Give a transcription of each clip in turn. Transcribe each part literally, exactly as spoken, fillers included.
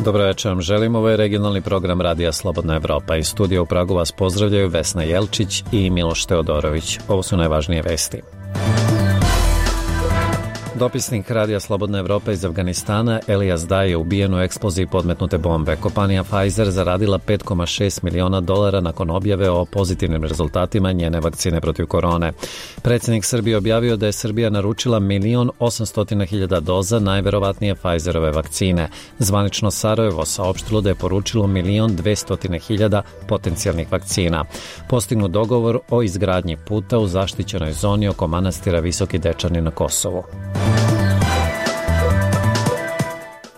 Dobro večer vam želim, ovo je regionalni program Radija Slobodna Evropa. Iz studija u Pragu vas pozdravljaju Vesna Jelčić i Miloš Teodorović. Ovo su najvažnije vesti. Dopisnik Radija Slobodna Evropa iz Afganistana Elias Daj je ubijen u eksploziji podmetnute bombe. Kompanija Pfizer zaradila pet zarez šest miliona dolara nakon objave o pozitivnim rezultatima njene vakcine protiv korone. Predsjednik Srbije objavio da je Srbija naručila milion osamsto hiljada doza najverovatnije Pfizerove vakcine. Zvanično Sarajevo saopštilo da je poručilo milion dvesta hiljada potencijalnih vakcina. Postignut dogovor o izgradnji puta u zaštićenoj zoni oko manastira Visoki Dečani na Kosovu.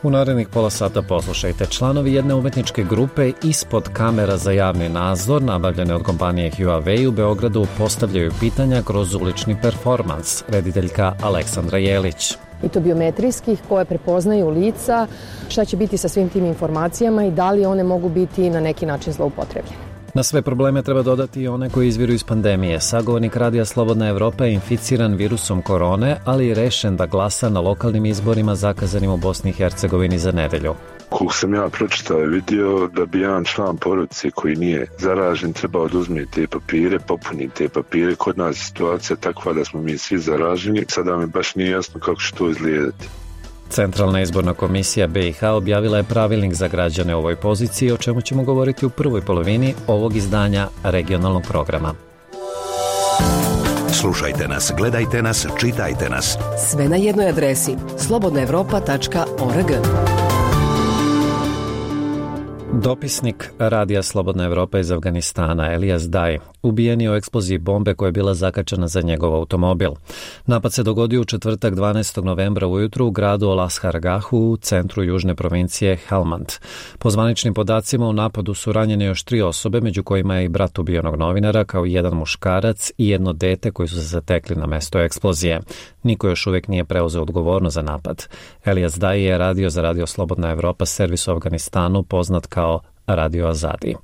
U narednih pola sata poslušajte. Članovi jedne umetničke grupe ispod kamera za javni nadzor, nabavljene od kompanije Huawei u Beogradu, postavljaju pitanja kroz ulični performans. Rediteljka Aleksandra Jelić. I to biometrijskih koje prepoznaju lica, šta će biti sa svim tim informacijama i da li one mogu biti na neki način zloupotrebljene. Na sve probleme treba dodati i one koji izviru iz pandemije. Sagovornik Radija Slobodna Evropa je inficiran virusom korone, ali je rešen da glasa na lokalnim izborima zakazanim u Bosni i Hercegovini za nedelju. Koliko sam ja pročitao i vidio da bi jedan član porodice koji nije zaražen trebao da uzme te papire, popuni te papire. Kod nas je situacija takva da smo mi svi zaraženi. Sada mi baš nije jasno kako će to izgledati. Centralna izborna komisija be i ha objavila je pravilnik za građane u ovoj poziciji, o čemu ćemo govoriti u prvoj polovini ovog izdanja regionalnog programa. Slušajte nas, gledajte nas, čitajte nas. Sve na jednoj adresi slobodna evropa tačka org. Dopisnik Radija Slobodna Evropa iz Afganistana Elias Daj ubijen je u eksploziji bombe koja je bila zakačena za njegov automobil. Napad se dogodio u četvrtak dvanaestog novembra ujutru u gradu Olashargahu u centru južne provincije Helmand. Po zvaničnim podacima u napadu su ranjene još tri osobe, među kojima je i brat ubijenog novinara, kao i jedan muškarac i jedno dete koji su se zatekli na mesto eksplozije. Niko još uvijek nije preuzeo odgovornost za napad. Elias Daj je radio za Radio Slobodna Evropa, servis u Afganistanu poznat kao Radio Azadi.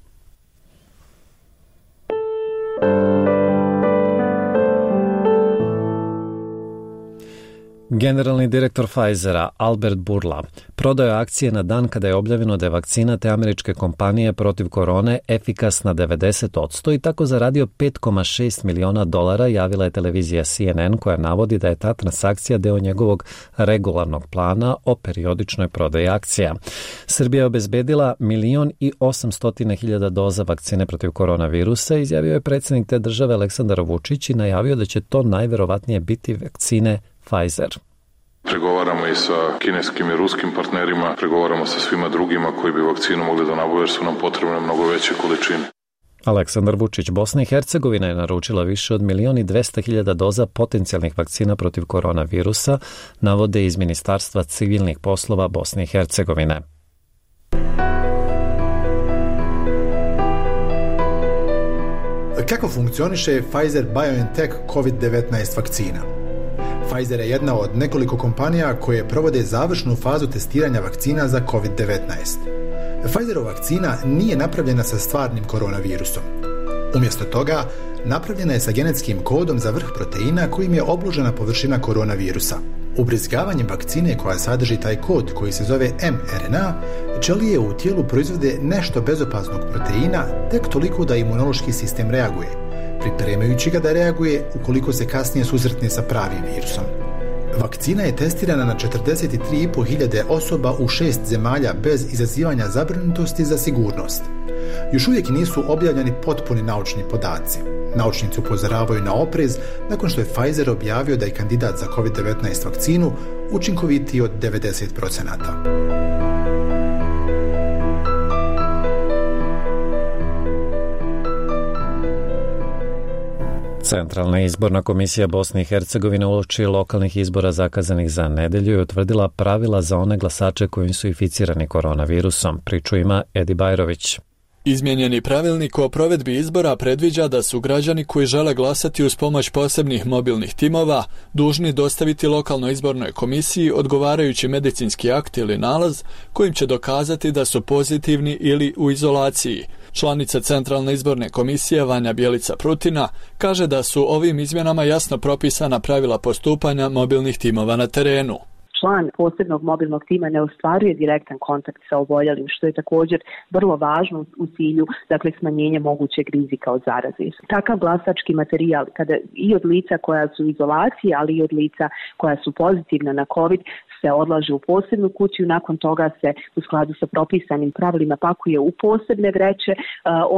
Generalni direktor Pfizera, Albert Bourla, prodao je akcije na dan kada je objavljeno da je vakcina te američke kompanije protiv korone efikasna devedeset posto i tako zaradio pet zarez šest miliona dolara, javila je televizija C N N koja navodi da je ta transakcija deo njegovog regularnog plana o periodičnoj prodaji akcija. Srbija je obezbedila milion i osamsto hiljada doza vakcine protiv koronavirusa, izjavio je predsjednik te države Aleksandar Vučić i najavio da će to najverovatnije biti vakcine Pfizer. Pregovaramo i sa kineskim i ruskim partnerima, pregovaramo sa svima drugima koji bi vakcinu mogli da nabavu jer su nam potrebne mnogo veće količine. Aleksandar Vučić. Bosna i Hercegovina je naručila više od milion i dvesta hiljada doza potencijalnih vakcina protiv koronavirusa, navode iz Ministarstva civilnih poslova Bosne i Hercegovine. Kako funkcioniše Pfizer-BioNTech kovid devetnaest vakcina? Pfizer je jedna od nekoliko kompanija koje provode završnu fazu testiranja vakcina za kovid devetnaest. Pfizerova vakcina nije napravljena sa stvarnim koronavirusom. Umjesto toga, napravljena je sa genetskim kodom za vrh proteina kojim je obložena površina koronavirusa. Ubrizgavanjem vakcine koja sadrži taj kod koji se zove em er en a, ćelije u tijelu proizvode nešto bezopasnog proteina tek toliko da imunološki sistem reaguje, pripremajući ga da reaguje ukoliko se kasnije susretne sa pravim virusom. Vakcina je testirana na četrdeset tri i po hiljade osoba u šest zemalja bez izazivanja zabrinutosti za sigurnost. Još uvijek nisu objavljeni potpuni naučni podaci. Naučnici upozoravaju na oprez nakon što je Pfizer objavio da je kandidat za kovid devetnaest vakcinu učinkovitiji od devedeset posto. Centralna izborna komisija Bosne i Hercegovine uoči lokalnih izbora zakazanih za nedelju je utvrdila pravila za one glasače koji su inficirani koronavirusom. Priču ima Edi Bajrović. Izmijenjeni pravilnik o provedbi izbora predviđa da su građani koji žele glasati uz pomoć posebnih mobilnih timova dužni dostaviti lokalnoj izbornoj komisiji odgovarajući medicinski akt ili nalaz kojim će dokazati da su pozitivni ili u izolaciji. Članica Centralne izborne komisije Vanja Bjelica-Prutina kaže da su ovim izmjenama jasno propisana pravila postupanja mobilnih timova na terenu. član posebnog mobilnog tima ne ostvaruje direktan kontakt sa oboljelim, što je također vrlo važno u cilju, dakle, smanjenja mogućeg rizika od zaraze. Takav glasački materijal, kada i od lica koja su u izolaciji, ali i od lica koja su pozitivna na COVID, se odlaže u posebnu kutiju, nakon toga se u skladu sa propisanim pravilima pakuje u posebne vreće,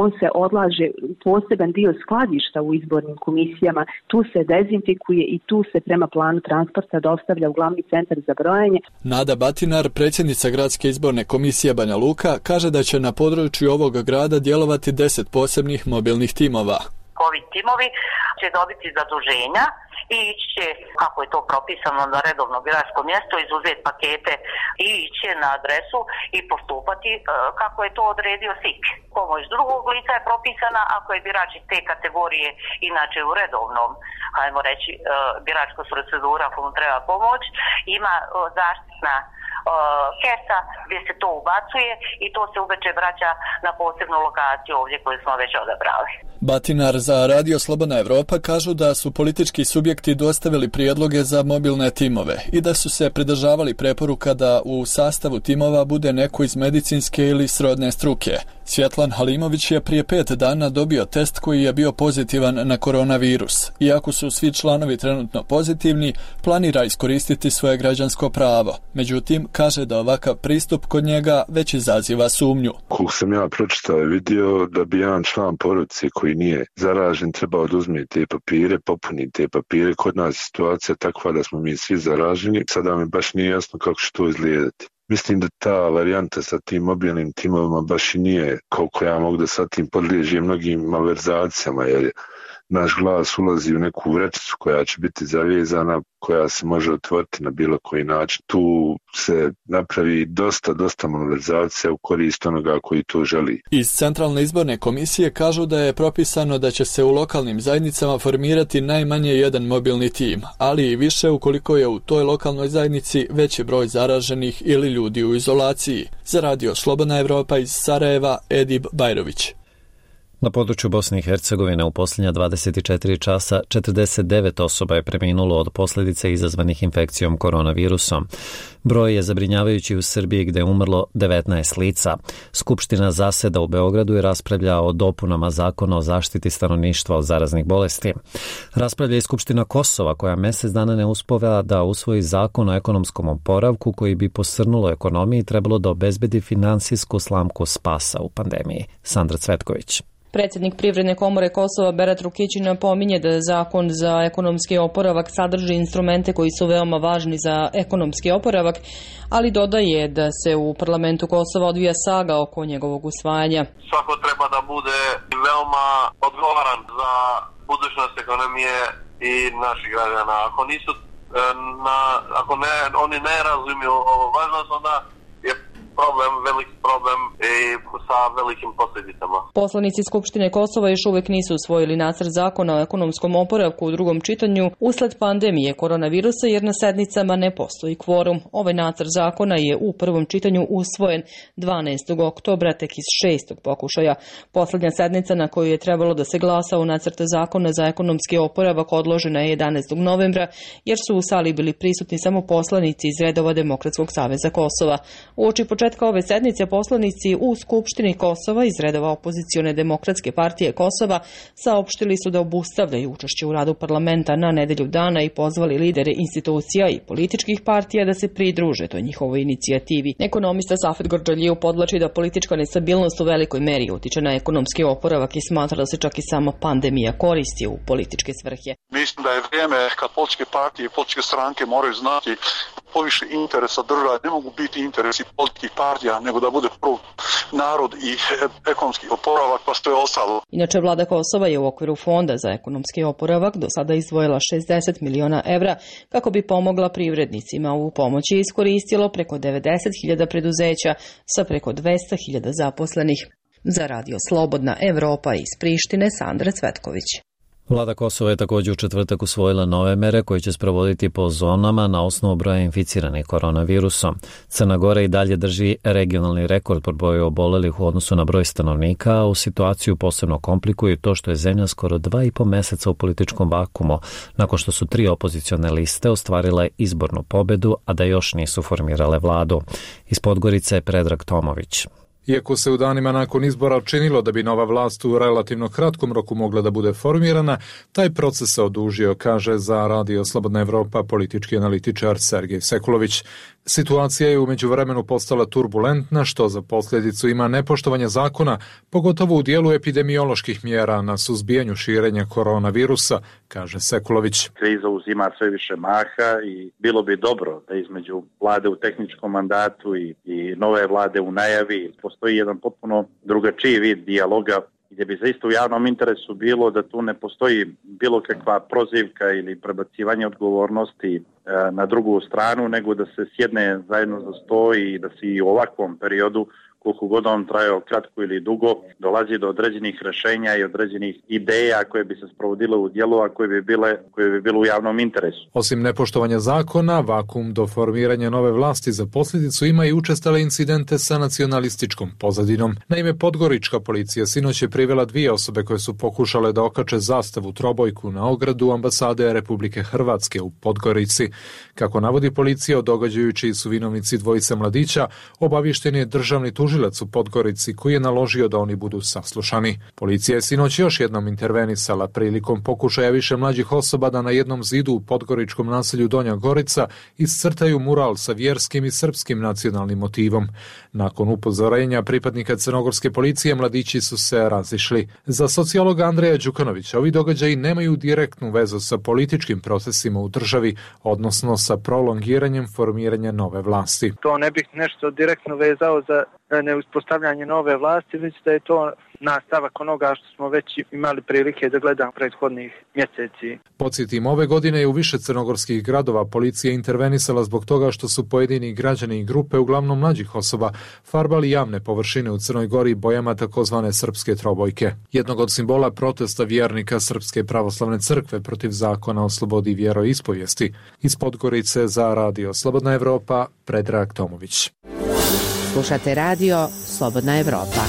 on se odlaže u poseban dio skladišta u izbornim komisijama, tu se dezinfikuje i tu se prema planu transporta dostavlja u glavni centar za brojanje. Nada Batinar, predsjednica Gradske izborne komisije Banja Luka, kaže da će na području ovog grada djelovati deset posebnih mobilnih timova. COVID timovi će dobiti zaduženja i ići će, kako je to propisano, na redovno biračko mjesto, izuzeti pakete i ići na adresu i postupati kako je to odredio S I K. Pomoć drugog lica je propisana ako je birač iz te kategorije inače u redovnom, hajmo reći, biračka procedura komu treba pomoć, ima zaštitna kesa gdje se to ubacuje i to se uveče vraća na posebnu lokaciju ovdje koju smo već odabrali. Batinar za Radio Slobodna Evropa kažu da su politički subjekti dostavili prijedloge za mobilne timove i da su se pridržavali preporuka da u sastavu timova bude neko iz medicinske ili srodne struke. Svjetlan Halimović je prije pet dana dobio test koji je bio pozitivan na koronavirus. Iako su svi članovi trenutno pozitivni, planira iskoristiti svoje građansko pravo. Međutim, kaže da ovakav pristup kod njega već izaziva sumnju. Koliko sam ja pročitao i vidio da bi jedan član porodice koji nije zaražen trebao oduzeti te papire, popuni te papire. Kod nas je situacija takva da smo mi svi zaraženi. Sada mi baš nije jasno kako će to izgledati. Mislim da ta varijanta sa tim mobilnim timovima baš i nije koliko ja mogu da sa tim podliježi mnogim malverzacijama, jer naš glas ulazi u neku vrećicu koja će biti zavezana, koja se može otvoriti na bilo koji način. Tu se napravi dosta, dosta malverzacija u korist onoga koji to želi. Iz Centralne izborne komisije kažu da je propisano da će se u lokalnim zajednicama formirati najmanje jedan mobilni tim, ali i više ukoliko je u toj lokalnoj zajednici veći broj zaraženih ili ljudi u izolaciji. Za Radio Slobodna Evropa iz Sarajeva, Edib Bajrović. Na području Bosne i Hercegovine u posljednja dvadeset četiri časa četrdeset devet osoba je preminulo od posljedice izazvanih infekcijom koronavirusom. Broj je zabrinjavajući u Srbiji gdje je umrlo devetnaest lica. Skupština zaseda u Beogradu i raspravlja o dopunama zakona o zaštiti stanovništva od zaraznih bolesti. Raspravlja i Skupština Kosova koja mjesec dana ne uspeva da usvoji zakon o ekonomskom oporavku koji bi posrnulo ekonomiji i trebalo da obezbedi finansijsku slamku spasa u pandemiji. Sandra Cvetković. Predsjednik Privredne komore Kosova Berat Rukići napominje da zakon za ekonomski oporavak sadrži instrumente koji su veoma važni za ekonomski oporavak, ali dodaje da se u parlamentu Kosova odvija saga oko njegovog usvajanja. Svako treba da bude veoma odgovoran za budućnost ekonomije i naših građana. Ako nisu na, ako ne, oni ne razumiju ovo važnost, onda je problem, veliki problem i sa velikim posljedicama. Poslanici Skupštine Kosova još uvijek nisu usvojili nacrt zakona o ekonomskom oporavku u drugom čitanju usled pandemije koronavirusa jer na sednicama ne postoji kvorum. Ovaj nacrt zakona je u prvom čitanju usvojen dvanaestog oktobra tek iz šestog pokušaja. Posljednja sednica na koju je trebalo da se glasa o nacrtu zakona za ekonomski oporavak odložena je jedanaestog novembra jer su u sali bili prisutni samo poslanici iz redova Demokratskog saveza Kosova. Uoči početka ove sednice poslanici u Skupštini Kosova iz redova opozicione Demokratske partije Kosova saopštili su da obustavljaju učešće u radu parlamenta na nedelju dana i pozvali lidere institucija i političkih partija da se pridruže toj njihovoj inicijativi. Ekonomista Safet Gordžaliju podvlači da politička nestabilnost u velikoj meri utiče na ekonomski oporavak i smatra da se čak i sama pandemija koristi u političke svrhe. Mislim da je vrijeme kad političke partije i političke stranke moraju znati poviše interesa države, ne mogu biti interesi političkih partija, nego da bude prvo narod i ekonomski oporavak, pa što je ostalo. Inače, vlada Kosova je u okviru Fonda za ekonomski oporavak do sada izdvojila šezdeset miliona evra kako bi pomogla privrednicima. U pomoći iskoristilo preko devedeset hiljada preduzeća sa preko dvesta hiljada zaposlenih. Za Radio Slobodna Evropa iz Prištine, Sandra Cvetković. Vlada Kosova je također u četvrtak usvojila nove mere koje će sprovoditi po zonama na osnovu broja inficiranih koronavirusom. Crna Gora i dalje drži regionalni rekord po broju obolelih u odnosu na broj stanovnika, a u situaciju posebno komplikuje to što je zemlja skoro dva i po meseca u političkom vakumu, nakon što su tri opozicione liste ostvarile izbornu pobedu, a da još nisu formirale vladu. Iz Podgorice je Predrag Tomović. Iako se u danima nakon izbora činilo da bi nova vlast u relativno kratkom roku mogla da bude formirana, taj proces se odužio, kaže za Radio Slobodna Evropa politički analitičar Sergej Sekulović. Situacija je u međuvremenu postala turbulentna, što za posljedicu ima nepoštovanje zakona, pogotovo u dijelu epidemioloških mjera na suzbijanju širenja koronavirusa, kaže Sekulović. Kriza uzima sve više maha i bilo bi dobro da između vlade u tehničkom mandatu i, i nove vlade u najavi postoji jedan potpuno drugačiji vid dijaloga, gdje bi zaista u javnom interesu bilo da tu ne postoji bilo kakva prozivka ili prebacivanje odgovornosti e, na drugu stranu, nego da se sjedne zajedno za sto i da se i u ovakvom periodu, koliko god on trajao kratko ili dugo, dolazi do određenih rješenja i određenih ideja koje bi se sprovodile u djelu, a koje bi bile, koje bi bile u javnom interesu. Osim nepoštovanja zakona, vakum do formiranja nove vlasti za posljedicu ima i učestale incidente sa nacionalističkom pozadinom. Naime, podgorička policija sinoć je privela dvije osobe koje su pokušale da okače zastavu trobojku na ogradu ambasade Republike Hrvatske u Podgorici. Kako navodi policija, o događaju čiji su vinovnici dvojice mladića, obaviješten je državni tužilac u Podgorici koji je naložio da oni budu saslušani. Policija je sinoć još jednom intervenisala prilikom pokušaja više mlađih osoba da na jednom zidu u podgoričkom naselju Donja Gorica iscrtaju mural sa vjerskim i srpskim nacionalnim motivom. Nakon upozorenja pripadnika crnogorske policije mladići su se razišli. Za sociologa Andreja Đukanovića ovi događaji nemaju direktnu vezu sa političkim procesima u državi, odnosno sa prolongiranjem formiranja nove vlasti. To ne bih nešto direktno vezao za neuspostavljanje nove vlasti, već da je to nastavak onoga što smo već imali prilike da gledamo prethodnih mjeseci. Podsjetim, ove godine je u više crnogorskih gradova policija intervenisala zbog toga što su pojedini građani i grupe, uglavnom mlađih osoba, farbali javne površine u Crnoj Gori bojama takozvane srpske trobojke. Jednog od simbola protesta vjernika Srpske pravoslavne crkve protiv zakona o slobodi vjeroispovijesti. Iz Podgorice za Radio Slobodna Evropa, Predrag Tomović. Slušate radio Slobodna Evropa.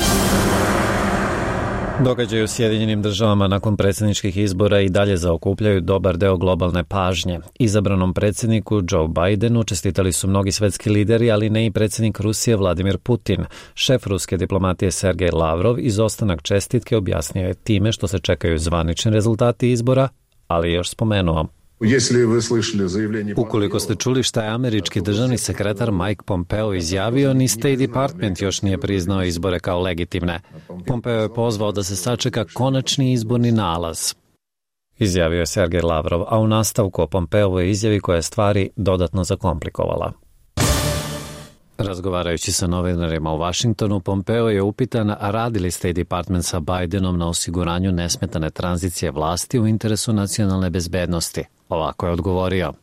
Događaji u Sjedinjenim državama nakon predsjedničkih izbora i dalje zaokupljaju dobar deo globalne pažnje. Izabranom predsjedniku Joe Bidenu čestitali su mnogi svetski lideri, ali ne i predsjednik Rusije Vladimir Putin. Šef ruske diplomatije Sergej Lavrov izostanak čestitke objasnio je time što se čekaju zvanični rezultati izbora, ali još spomenuo. Ukoliko ste čuli šta je američki državni sekretar Mike Pompeo izjavio, ni State Department još nije priznao izbore kao legitimne. Pompeo je pozvao da se sačeka konačni izborni nalaz. Izjavio je Sergej Lavrov, a u nastavku o Pompeovoj izjavi koja je stvari dodatno zakomplikovala. Razgovarajući sa novinarima u Washingtonu, Pompeo je upitan radi li State Department sa Bidenom na osiguranju nesmetane tranzicije vlasti u interesu nacionalne bezbednosti. Ovako je odgovorio.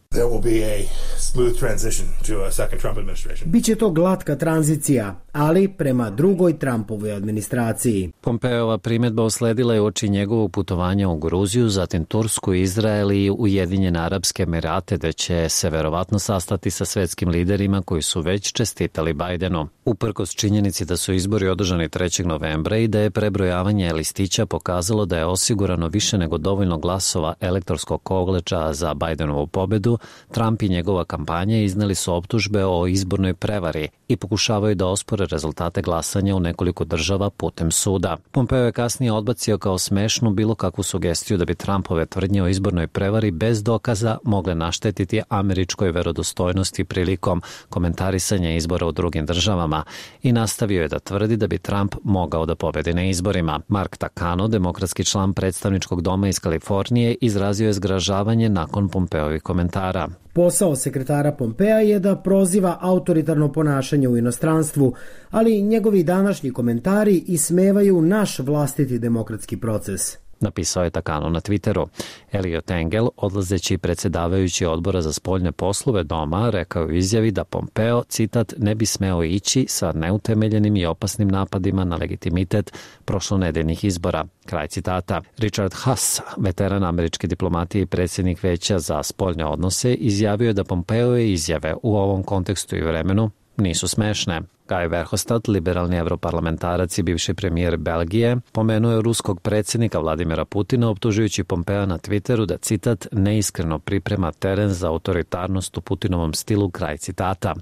Biće to glatka tranzicija, ali prema drugoj Trumpovoj administraciji. Pompeova primjedba usledila je uoči njegovog putovanja u Gruziju, zatim Tursku, Izrael i Ujedinjene Arapske Emirate, da će se verovatno sastati sa svetskim liderima koji su već čestitali Bidenu. Uprkos činjenici da su izbori održani trećeg novembra i da je prebrojavanje listića pokazalo da je osigurano više nego dovoljno glasova elektorskog koleča za Bidenovu pobedu, Trump i njegova kampanja izneli su optužbe o izbornoj prevari i pokušavaju da ospore rezultate glasanja u nekoliko država putem suda. Pompeo je kasnije odbacio kao smešnu bilo kakvu sugestiju da bi Trumpove tvrdnje o izbornoj prevari bez dokaza mogle naštetiti američkoj verodostojnosti prilikom komentarisanja izbora u drugim državama i nastavio je da tvrdi da bi Trump mogao da pobedi na izborima. Mark Takano, demokratski član predstavničkog doma iz Kalifornije, izrazio je zgražavanje nakon Pompeovih komentara. Posao sekretara Pompea je da proziva autoritarno ponašanje u inostranstvu, ali njegovi današnji komentari ismevaju naš vlastiti demokratski proces. napisao je Takano na Twitteru. Elliot Engel, odlazeći predsjedavajući odbora za spoljne poslove doma, rekao u izjavi da Pompeo, citat, ne bi smeo ići sa neutemeljenim i opasnim napadima na legitimitet prošlonedeljnih izbora. Kraj citata. Richard Haas, veteran američke diplomatije i predsjednik Veća za spoljne odnose, izjavio je da Pompeove izjave u ovom kontekstu i vremenu nisu smešne. Guy Verhofstadt, liberalni evroparlamentarac i bivši premijer Belgije, pomenuo je ruskog predsjednika Vladimira Putina optužujući Pompea na Twitteru da, citat, neiskreno priprema teren za autoritarnost u Putinovom stilu, kraj citata.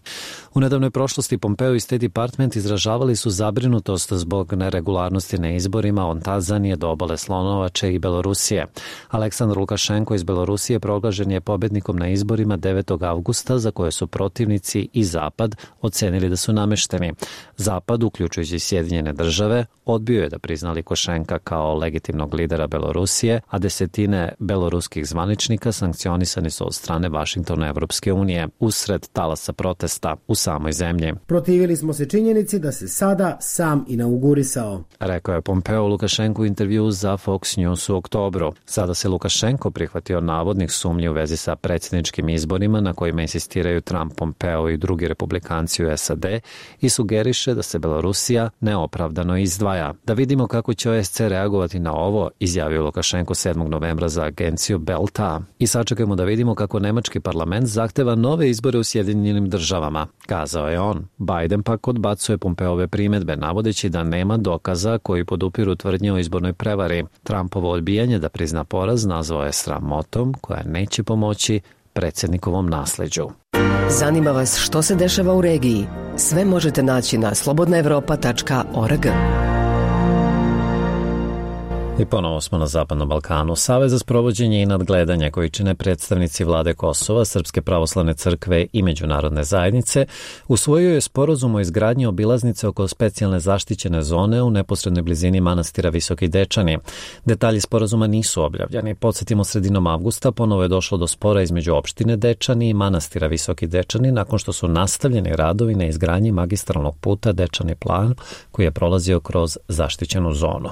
U nedavnoj prošlosti Pompeo i State Department izražavali su zabrinutost zbog neregularnosti na izborima od Tanzanije do obale Slonovače i Belorusije. Aleksandar Lukašenko iz Belorusije proglašen je pobednikom na izborima devetog avgusta, za koje su protivnici i Zapad ocenili da su namešteni. Zapad, uključujući Sjedinjene države, odbio je da prizna Lukašenka kao legitimnog lidera Belorusije, a desetine beloruskih zvaničnika sankcionisani su od strane Vašingtona i Evropske unije usred talasa protesta u samoj zemlji. Protivili smo se činjenici da se sada sam inaugurisao, rekao je Pompeo Lukašenku u intervju za Fox News u oktobru. Sada se Lukašenko prihvatio navodnih sumnji u vezi sa predsjedničkim izborima na kojima insistiraju Trump, Pompeo i drugi republikanci u S A D i sugeriše da se Belorusija neopravdano izdvaja. Da vidimo kako će O S C reagovati na ovo, izjavio Lukašenko sedmog novembra za agenciju Belta. I sačekajmo da vidimo kako nemački parlament zahteva nove izbore u Sjedinjenim državama, kazao je on. Biden pak odbacuje Pompeove primedbe, navodeći da nema dokaza koji podupiru tvrdnje o izbornoj prevari. Trumpovo odbijanje da prizna poraz nazvao je sramotom koja neće pomoći predsjednikovom nasleđu. Zanima vas što se dešava u regiji? Sve možete naći na slobodna evropa tačka org. I ponovo smo na Zapadnom Balkanu. Savez za sprovođenje i nadgledanje koji čine predstavnici vlade Kosova, Srpske pravoslavne crkve i međunarodne zajednice usvojio je sporazum o izgradnji obilaznice oko specijalne zaštićene zone u neposrednoj blizini manastira Visoki Dečani. Detalji sporazuma nisu objavljeni. Podsjetimo, sredinom avgusta ponovo je došlo do spora između opštine Dečani i manastira Visoki Dečani nakon što su nastavljeni radovi na izgradnji magistralnog puta Dečani Plan koji je prolazio kroz zaštićenu zonu.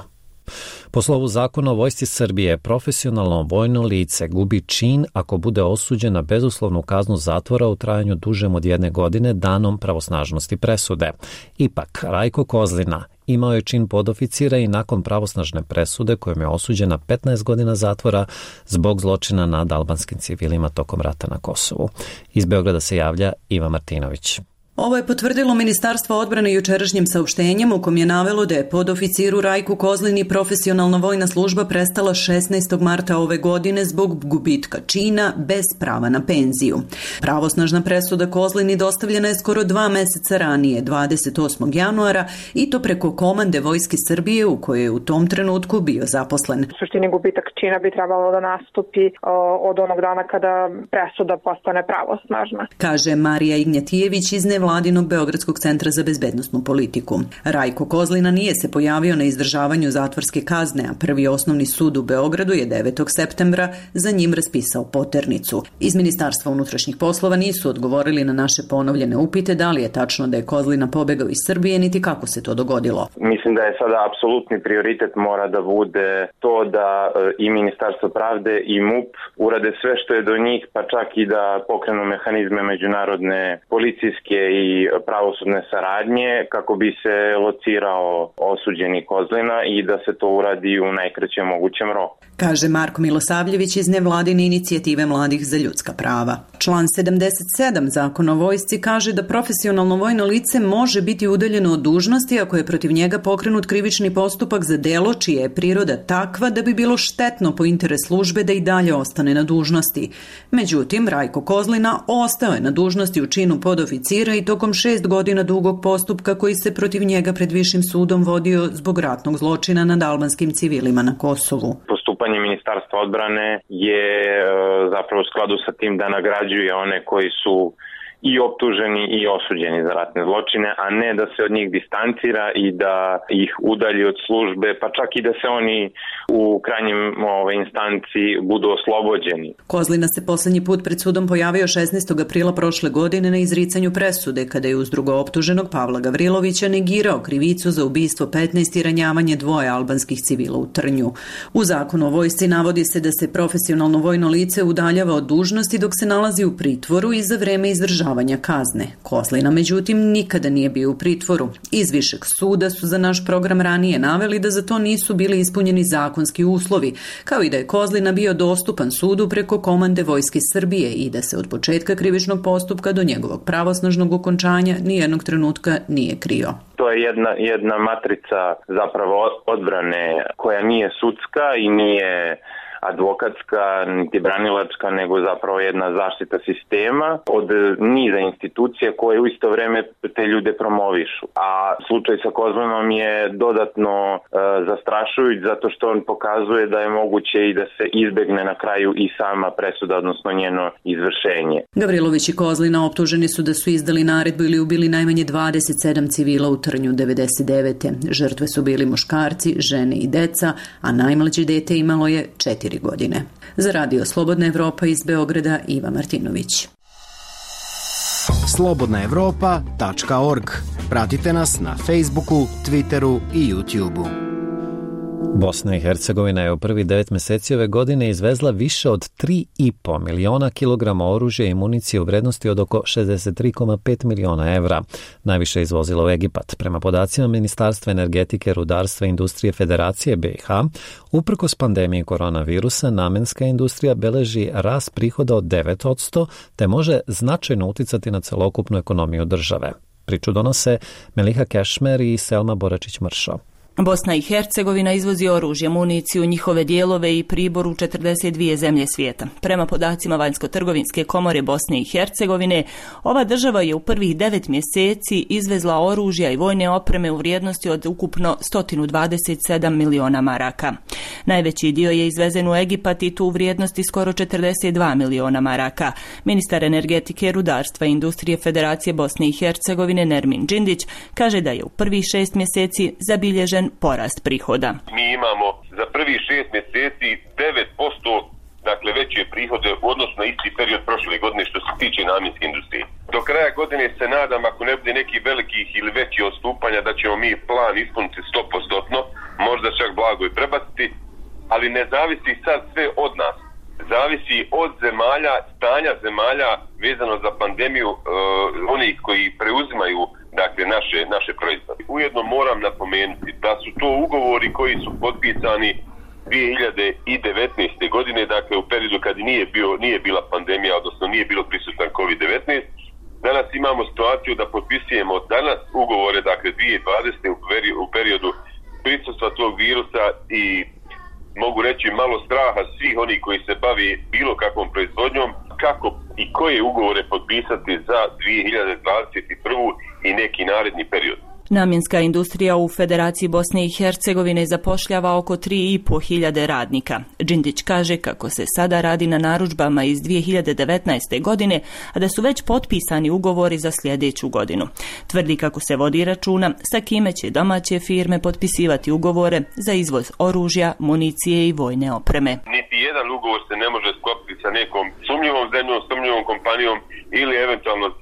Po slovu zakona o vojsci Srbije, profesionalno vojno lice gubi čin ako bude osuđen na bezuslovnu kaznu zatvora u trajanju dužem od jedne godine danom pravosnažnosti presude. Ipak, Rajko Kozlina imao je čin podoficira i nakon pravosnažne presude kojom je osuđen na petnaest godina zatvora zbog zločina nad albanskim civilima tokom rata na Kosovu. Iz Beograda se javlja Iva Martinović. Ovo je potvrdilo Ministarstvo odbrane jučerašnjim saopštenjem u kom je navelo da je podoficiru Rajku Kozlini profesionalna vojna služba prestala šesnaestog marta ove godine zbog gubitka čina bez prava na penziju. Pravosnažna presuda Kozlini dostavljena je skoro dva meseca ranije, dvadeset osmog januara, i to preko komande Vojske Srbije u kojoj je u tom trenutku bio zaposlen. U suštini gubitak čina bi trebalo da nastupi o, od onog dana kada presuda postane pravosnažna, kaže Marija Ignjatijević iz Vladinog Beogradskog centra za bezbednosnu politiku. Rajko Kozlina nije se pojavio na izdržavanju zatvorske kazne, a prvi osnovni sud u Beogradu je devetog septembra za njim raspisao poternicu. Iz Ministarstva unutrašnjih poslova nisu odgovorili na naše ponovljene upite da li je tačno da je Kozlina pobegao iz Srbije, niti kako se to dogodilo. Mislim da je sada apsolutni prioritet mora da bude to da i Ministarstvo pravde i MUP urade sve što je do njih, pa čak i da pokrenu mehanizme međunarodne policijske i pravosudne saradnje kako bi se locirao osuđeni Kozlina i da se to uradi u najkraćem mogućem roku. Kaže Marko Milosavljević iz nevladine inicijative Mladih za ljudska prava. Član sedamdeset sedam Zakona o vojsci kaže da profesionalno vojno lice može biti udaljeno od dužnosti ako je protiv njega pokrenut krivični postupak za delo čija je priroda takva da bi bilo štetno po interes službe da i dalje ostane na dužnosti. Međutim, Rajko Kozlina ostao je na dužnosti u činu podoficira i tokom šest godina dugog postupka koji se protiv njega pred višim sudom vodio zbog ratnog zločina nad albanskim civilima na Kosovu. Postupanje Ministarstva odbrane je zapravo u skladu sa tim da nagrađuje one koji su i optuženi i osuđeni za ratne zločine, a ne da se od njih distancira i da ih udalji od službe, pa čak i da se oni u krajnjem ove, instanci budu oslobođeni. Kozlina se poslednji put pred sudom pojavio šesnaestog aprila prošle godine na izricanju presude, kada je uz drugooptuženog Pavla Gavrilovića negirao krivicu za ubistvo petnaest i ranjavanje dvoje albanskih civila u Trnju. U zakonu o vojsci navodi se da se profesionalno vojno lice udaljava od dužnosti dok se nalazi u pritvoru i za vreme izdržavanja kazne. Kozlina, međutim, nikada nije bio u pritvoru. Iz višeg suda su za naš program ranije naveli da za to nisu bili ispunjeni zakonski uslovi, kao i da je Kozlina bio dostupan sudu preko komande Vojske Srbije i da se od početka krivičnog postupka do njegovog pravosnažnog okončanja nijednog trenutka nije krio. To je jedna, jedna matrica zapravo odbrane koja nije sudska i nije advokatska, niti branilačka, nego zapravo jedna zaštita sistema od niza institucija koje u isto vreme te ljude promovišu. A slučaj sa Kozlinom je dodatno e, zastrašujuć zato što on pokazuje da je moguće i da se izbegne na kraju i sama presuda, odnosno njeno izvršenje. Gavrilović i Kozlina optuženi su da su izdali naredbu ili ubili najmanje dvadeset sedam civila u Trnju devedeset devete. Žrtve su bili muškarci, žene i deca, a najmlađe dete imalo je četiri godine. Za Radio Slobodna Evropa iz Beograda, Iva Martinović. slobodna evropa tačka org. Pratite nas na Facebooku, Twitteru i YouTubeu. Bosna i Hercegovina je u prvi devet meseci ove godine izvezla više od tri i po miliona kilograma oružja i municije u vrednosti od oko šezdeset tri zarez pet miliona evra. Najviše je izvozila u Egipat. Prema podacima Ministarstva energetike, rudarstva i industrije Federacije B i H, uprkos pandemiji koronavirusa, namenska industrija beleži rast prihoda od devet posto, te može značajno uticati na celokupnu ekonomiju države. Priču donose Meliha Kešmer i Selma Boračić-Mršo. Bosna i Hercegovina izvozi oružje, municiju, njihove dijelove i pribor u četrdeset dvije zemlje svijeta. Prema podacima Vanjsko-trgovinske komore Bosne i Hercegovine, ova država je u prvih devet mjeseci izvezla oružja i vojne opreme u vrijednosti od ukupno sto dvadeset sedam miliona maraka. Najveći dio je izvezen u Egipat i tu u vrijednosti skoro četrdeset dva miliona maraka. Ministar energetike, rudarstva i industrije Federacije Bosne i Hercegovine Nermin Džindić kaže da je u prvih šest mjeseci zabilježen porast prihoda. Mi imamo za prvih šest mjeseci devet posto dakle veće prihode u odnosu na isti period prošle godine što se tiče namjenske industrije. Do kraja godine se nadam, ako ne bude nekih velikih ili većih odstupanja, da ćemo mi plan ispuniti sto posto, možda čak blago i prebaciti, ali ne zavisi sad sve od nas. Zavisi od zemalja, stanja zemalja vezano za pandemiju, uh, onih koji preuzimaju dakle naše naše proizvode. Ujedno moram napomenuti da su to ugovori koji su potpisani dvije hiljade devetnaeste. godine, dakle u periodu kad nije bio nije bila pandemija, odnosno nije bilo prisutan kovid devetnaest. Danas imamo situaciju da potpisujemo danas ugovore, dakle dvije hiljade dvadesete. u periodu prisustva tog virusa i mogu reći malo straha svih onih koji se bavi bilo kakvom proizvodnjom, kako i koje ugovore potpisati za dvije hiljade dvadeset prvu i neki naredni period. Namjenska industrija u Federaciji Bosne i Hercegovine zapošljava oko tri i po hiljade radnika. Džindić kaže kako se sada radi na narudžbama iz dvije hiljade devetnaeste. godine, a da su već potpisani ugovori za sljedeću godinu. Tvrdi kako se vodi računa sa kime će domaće firme potpisivati ugovore za izvoz oružja, municije i vojne opreme. Niti jedan ugovor se ne može sklopiti sa nekom sumnjivom zemljom, sumnjivom kompanijom ili eventualno e,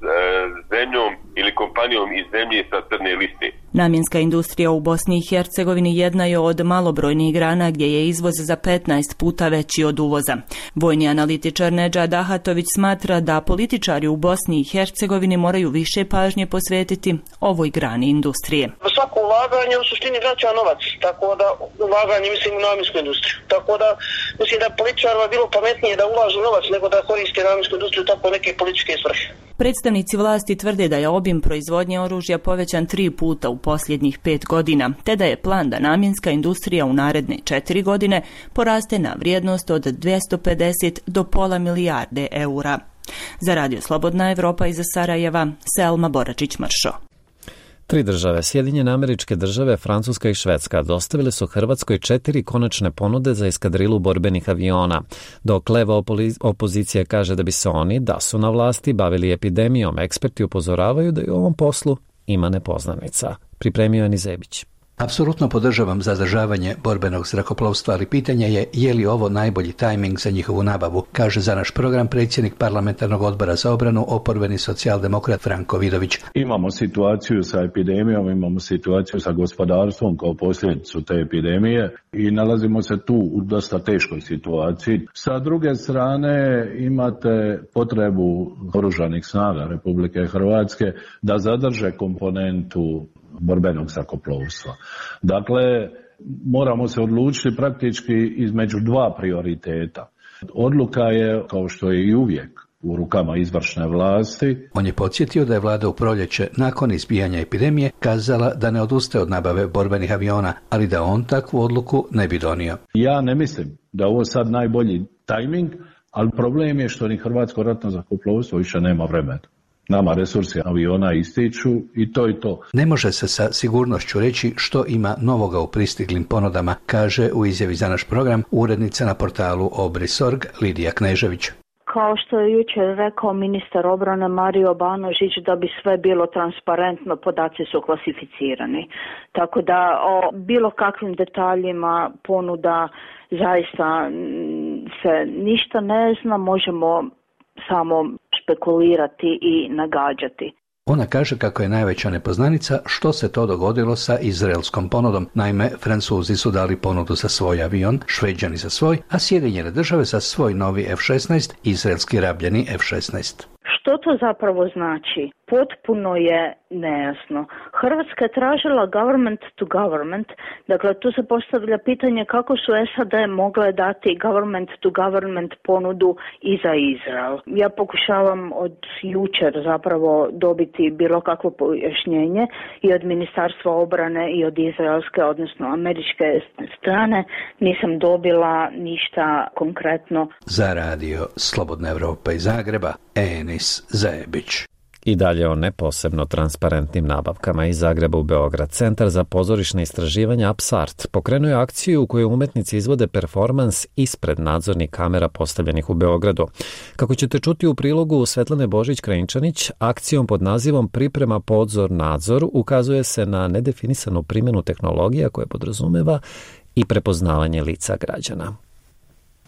zemljom ili kompanijom iz zemlje sa crne liste. Namjenska industrija u Bosni i Hercegovini jedna je od malobrojnih grana gdje je izvoz za petnaest puta veći od uvoza. Vojni analitičar Nedžad Ahatović smatra da političari u Bosni i Hercegovini moraju više pažnje posvetiti ovoj grani industrije. Svako ulaganje u suštini vraća novac, tako da ulaganje mislim u namjensku industriju. Tako da mislim da političarima bilo pametnije da ulažu novac nego da koriste namjensku industriju tako neke političke svrhe. Predstavnici vlasti tvrde da je obim proizvodnje oružja povećan tri puta u posljednjih pet godina, te da je plan da namjenska industrija u naredne četiri godine poraste na vrijednost od dvjesto pedeset do pola milijarde eura. Za Radio Slobodna Evropa iz Sarajeva, Selma Boračić-Mršo. Tri države, Sjedinjene Američke Države, Francuska i Švedska, dostavile su Hrvatskoj četiri konačne ponude za eskadrilu borbenih aviona, dok leva opozicija kaže da bi se oni, da su na vlasti, bavili epidemijom. Eksperti upozoravaju da i u ovom poslu ima nepoznanica. Pripremio je Nizebić. Apsolutno podržavam zadržavanje borbenog zrakoplovstva, ali pitanje je je li ovo najbolji tajming za njihovu nabavu, kaže za naš program predsjednik parlamentarnog odbora za obranu, oporbeni socijaldemokrat Franko Vidović. Imamo situaciju sa epidemijom, imamo situaciju sa gospodarstvom kao posljedicu te epidemije i nalazimo se tu u dosta teškoj situaciji. Sa druge strane imate potrebu oružanih snaga Republike Hrvatske da zadrže komponentu borbenog zrakoplovstva. Dakle, moramo se odlučiti praktički između dva prioriteta. Odluka je, kao što je i uvijek, u rukama izvršne vlasti. On je podsjetio da je vlada u proljeće, nakon izbijanja epidemije, kazala da ne odustaje od nabave borbenih aviona, ali da on takvu odluku ne bi donio. Ja ne mislim da je ovo sad najbolji tajming, ali problem je što ni Hrvatsko ratno zrakoplovstvo više nema vremena. Nama resursi aviona ističu i to i to. Ne može se sa sigurnošću reći što ima novoga u pristiglim ponudama, kaže u izjavi za naš program urednica na portalu Obris.org Lidija Knežević. Kao što je jučer rekao ministar obrane Mario Banožić, da bi sve bilo transparentno, podaci su klasificirani. Tako da o bilo kakvim detaljima ponuda zaista se ništa ne zna, možemo samo spekulirati i nagađati. Ona kaže kako je najveća nepoznanica što se to dogodilo sa izraelskom ponudom. Naime, Francuzi su dali ponudu za svoj avion, Šveđani za svoj, a Sjedinjene države za svoj novi F šesnaest, izraelski rabljeni F šesnaest. Što to zapravo znači? Potpuno je nejasno. Hrvatska je tražila government to government, dakle tu se postavlja pitanje kako su S A D mogle dati government to government ponudu i za Izrael. Ja pokušavam od jučer zapravo dobiti bilo kakvo pojašnjenje i od Ministarstva obrane i od izraelske, odnosno američke strane. Nisam dobila ništa konkretno. Za radio Slobodna Evropa iz Zagreba, Enis Zajebić. I dalje o neposebno transparentnim nabavkama iz Zagreba u Beograd. Centar za pozorišne istraživanja Apsart pokrenuo je akciju u kojoj umetnici izvode performans ispred nadzornih kamera postavljenih u Beogradu. Kako ćete čuti u prilogu Svetlane Božić-Krajinčanić, akcijom pod nazivom Priprema pozor nadzor ukazuje se na nedefinisanu primjenu tehnologija koje podrazumeva i prepoznavanje lica građana.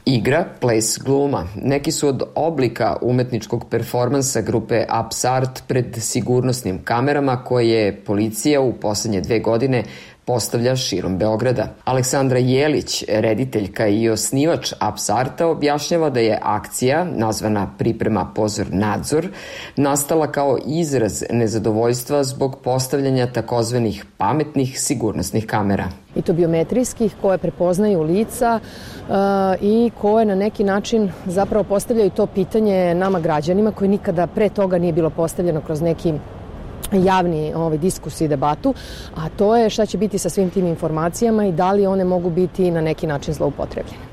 Igra, ples, gluma. Neki su od oblika umetničkog performansa grupe Apsart pred sigurnosnim kamerama koje policija u posljednje dve godine postavlja širom Beograda. Aleksandra Jelić, rediteljka i osnivač Apsarta, objašnjava da je akcija, nazvana Priprema pozor nadzor, nastala kao izraz nezadovoljstva zbog postavljanja takozvanih pametnih sigurnosnih kamera. I to biometrijskih koje prepoznaju lica uh, i koje na neki način zapravo postavljaju to pitanje nama građanima koji nikada pre toga nije bilo postavljeno kroz neki javni ovaj, diskus i debatu, a to je šta će biti sa svim tim informacijama i da li one mogu biti na neki način zloupotrebljene.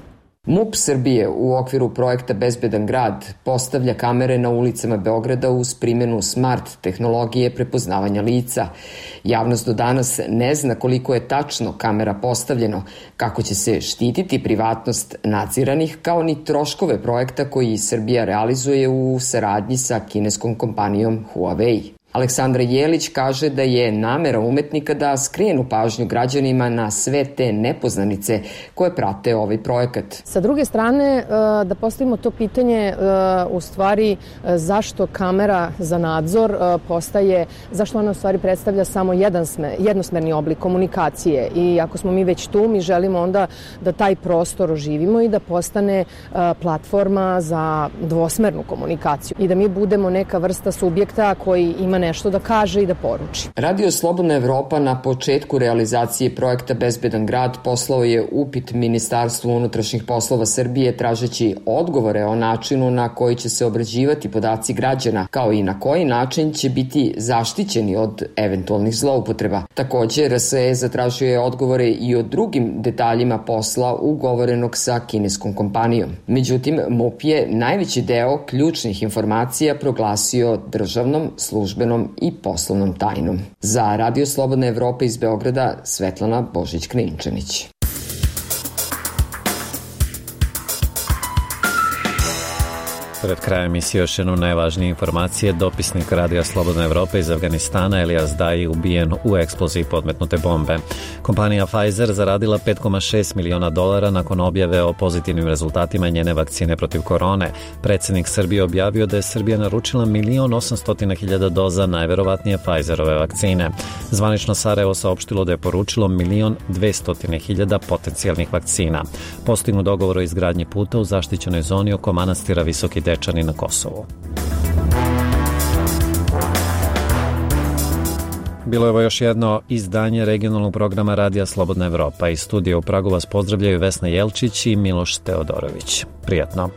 MUP Srbije u okviru projekta Bezbedan grad postavlja kamere na ulicama Beograda uz primjenu smart tehnologije prepoznavanja lica. Javnost do danas ne zna koliko je tačno kamera postavljeno, kako će se štititi privatnost nadziranih, kao ni troškove projekta koji Srbija realizuje u saradnji sa kineskom kompanijom Huawei. Aleksandra Jelić kaže da je namera umetnika da skrenu pažnju građanima na sve te nepoznanice koje prate ovaj projekat. Sa druge strane, da postavimo to pitanje u stvari zašto kamera za nadzor postaje, zašto ona u stvari predstavlja samo jedan smer, jednosmerni oblik komunikacije i ako smo mi već tu, mi želimo onda da taj prostor oživimo i da postane platforma za dvosmernu komunikaciju i da mi budemo neka vrsta subjekta koji ima nešto da kaže i da poruči. Radio Slobodna Evropa na početku realizacije projekta Bezbedan grad poslao je upit Ministarstvu unutrašnjih poslova Srbije tražeći odgovore o načinu na koji će se obrađivati podaci građana, kao i na koji način će biti zaštićeni od eventualnih zloupotreba. Također, R S E zatražio je odgovore i o drugim detaljima posla ugovorenog sa kineskom kompanijom. Međutim, MUP je najveći deo ključnih informacija proglasio državnom, službenom državnom i poslovnom tajnom. Za Radio Slobodna Evropa iz Beograda, Svetlana Božić-Klinčanić. Pred krajem emisije još jednu najvažnije informacije. Dopisnik Radija Slobodna Evropa iz Afganistana Elias Dai ubijen u eksploziji podmetnute bombe. Kompanija Pfizer zaradila pet zarez šest miliona dolara nakon objave o pozitivnim rezultatima njene vakcine protiv korone. Predsjednik Srbije objavio da je Srbija naručila milion osamsto hiljada doza najverovatnije Pfizerove vakcine. Zvanično Sarajevo saopštilo da je poručilo milion dvesta hiljada potencijalnih vakcina. Postignut dogovor o izgradnji puta u zaštićenoj zoni oko manastira Visoki Dečani na Kosovu. Bilo je ovo još jedno izdanje regionalnog programa Radija Slobodna Evropa. Iz studija u Pragu vas pozdravljaju Vesna Jelčić i Miloš Teodorović. Prijatno.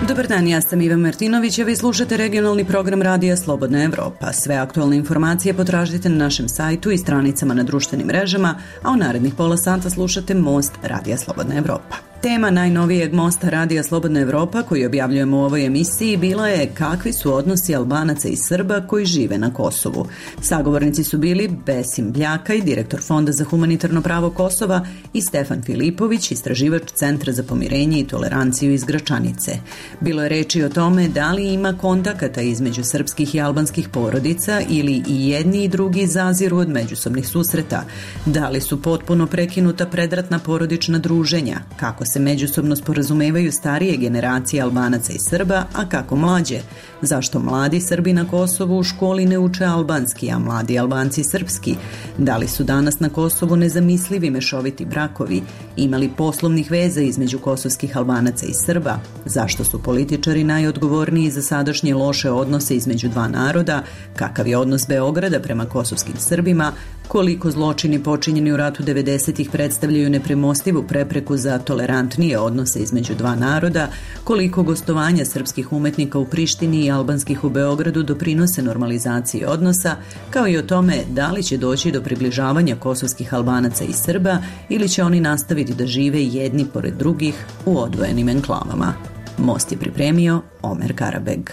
Dobar dan, ja sam Iva Martinović, a vi slušate regionalni program Radija Slobodna Evropa. Sve aktualne informacije potražite na našem sajtu i stranicama na društvenim mrežama, a u narednih pola sata slušate Most Radija Slobodna Evropa. Tema najnovijeg Mosta Radija Slobodna Evropa koji objavljujemo u ovoj emisiji bila je kakvi su odnosi Albanaca i Srba koji žive na Kosovu. Sagovornici su bili Besim Bljakaj, direktor Fonda za humanitarno pravo Kosova, i Stefan Filipović, istraživač Centra za pomirenje i toleranciju iz Gračanice. Bilo je reči o tome da li ima kontakata između srpskih i albanskih porodica ili i jedni i drugi zaziru od međusobnih susreta, da li su potpuno prekinuta predratna porodična druženja, kako se međusobno sporazumevaju starije generacije Albanaca i Srba, a kako mlađe, zašto mladi Srbi na Kosovu u školi ne uče albanski, a mladi Albanci srpski, da li su danas na Kosovu nezamislivi mešoviti brakovi, imali poslovnih veza između kosovskih Albanaca i Srba, zašto su političari najodgovorniji za sadašnje loše odnose između dva naroda, kakav je odnos Beograda prema kosovskim Srbima, koliko zločini počinjeni u ratu devedesetih predstavljaju nepremostivu prepreku za tolerantnije odnose između dva naroda, koliko gostovanja srpskih umetnika u Prištini i albanskih u Beogradu doprinose normalizaciji odnosa, kao i o tome da li će doći do približavanja kosovskih Albanaca i Srba ili će oni nastaviti da žive jedni pored drugih u odvojenim enklavama. Most je pripremio Omer Karabeg.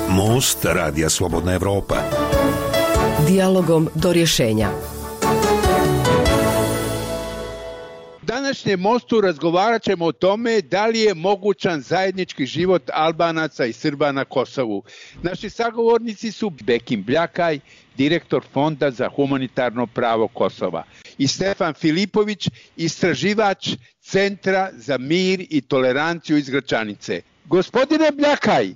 Most Radija Slobodna Evropa. Dijalogom do rješenja. Današnjem mostu razgovarat ćemo o tome da li je mogućan zajednički život Albanaca i Srba na Kosovu. Naši sagovornici su Besim Bljakaj, direktor Fonda za humanitarno pravo Kosova, i Stefan Filipović, istraživač Centra za mir i toleranciju iz Gračanice. Gospodine Bljakaj,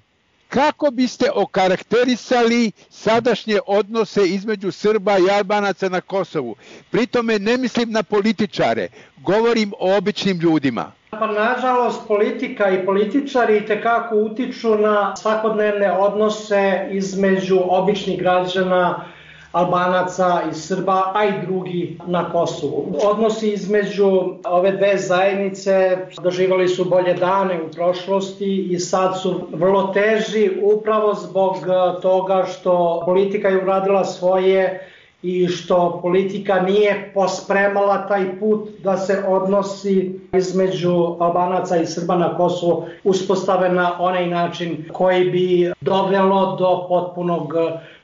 kako biste okarakterisali sadašnje odnose između Srba i Albanaca na Kosovu? Pritome ne mislim na političare, govorim o običnim ljudima. Pa nažalost politika i političari itekako utiču na svakodnevne odnose između običnih građana, Albanaca i Srba, a i drugi na Kosovu. Odnosi između ove dve zajednice doživjeli su bolje dane u prošlosti i sad su vrlo teži upravo zbog toga što politika je uradila svoje i što politika nije pospremala taj put da se odnosi između Albanaca i Srba na Kosovu uspostave na onaj način koji bi dovelo do potpunog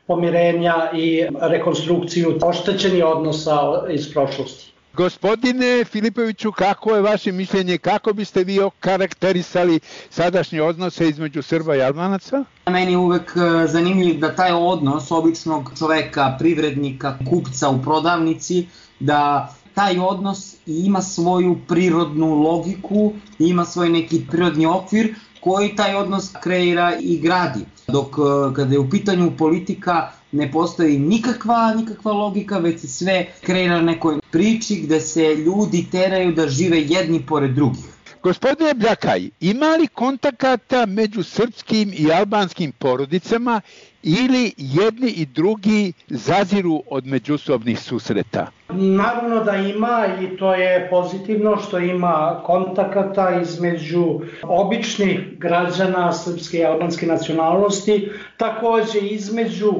pomirenja i rekonstrukciju oštećenih odnosa iz prošlosti. Gospodine Filipoviću, kako je vaše mišljenje, kako biste vi okarakterisali sadašnje odnose između Srba i Albanaca? Meni je uvek zanimljiv da taj odnos običnog čoveka, privrednika, kupca u prodavnici, da taj odnos ima svoju prirodnu logiku, ima svoj neki prirodni okvir koji taj odnos kreira i gradi. Dok kada je u pitanju politika ne postoji nikakva, nikakva logika, već se sve kreira na nekoj priči gde se ljudi teraju da žive jedni pored drugih. Gospodine Bljakaj, ima li kontakata među srpskim i albanskim porodicama ili jedni i drugi zaziru od međusobnih susreta? Naravno da ima i to je pozitivno što ima kontakata između običnih građana srpske i albanske nacionalnosti, takođe između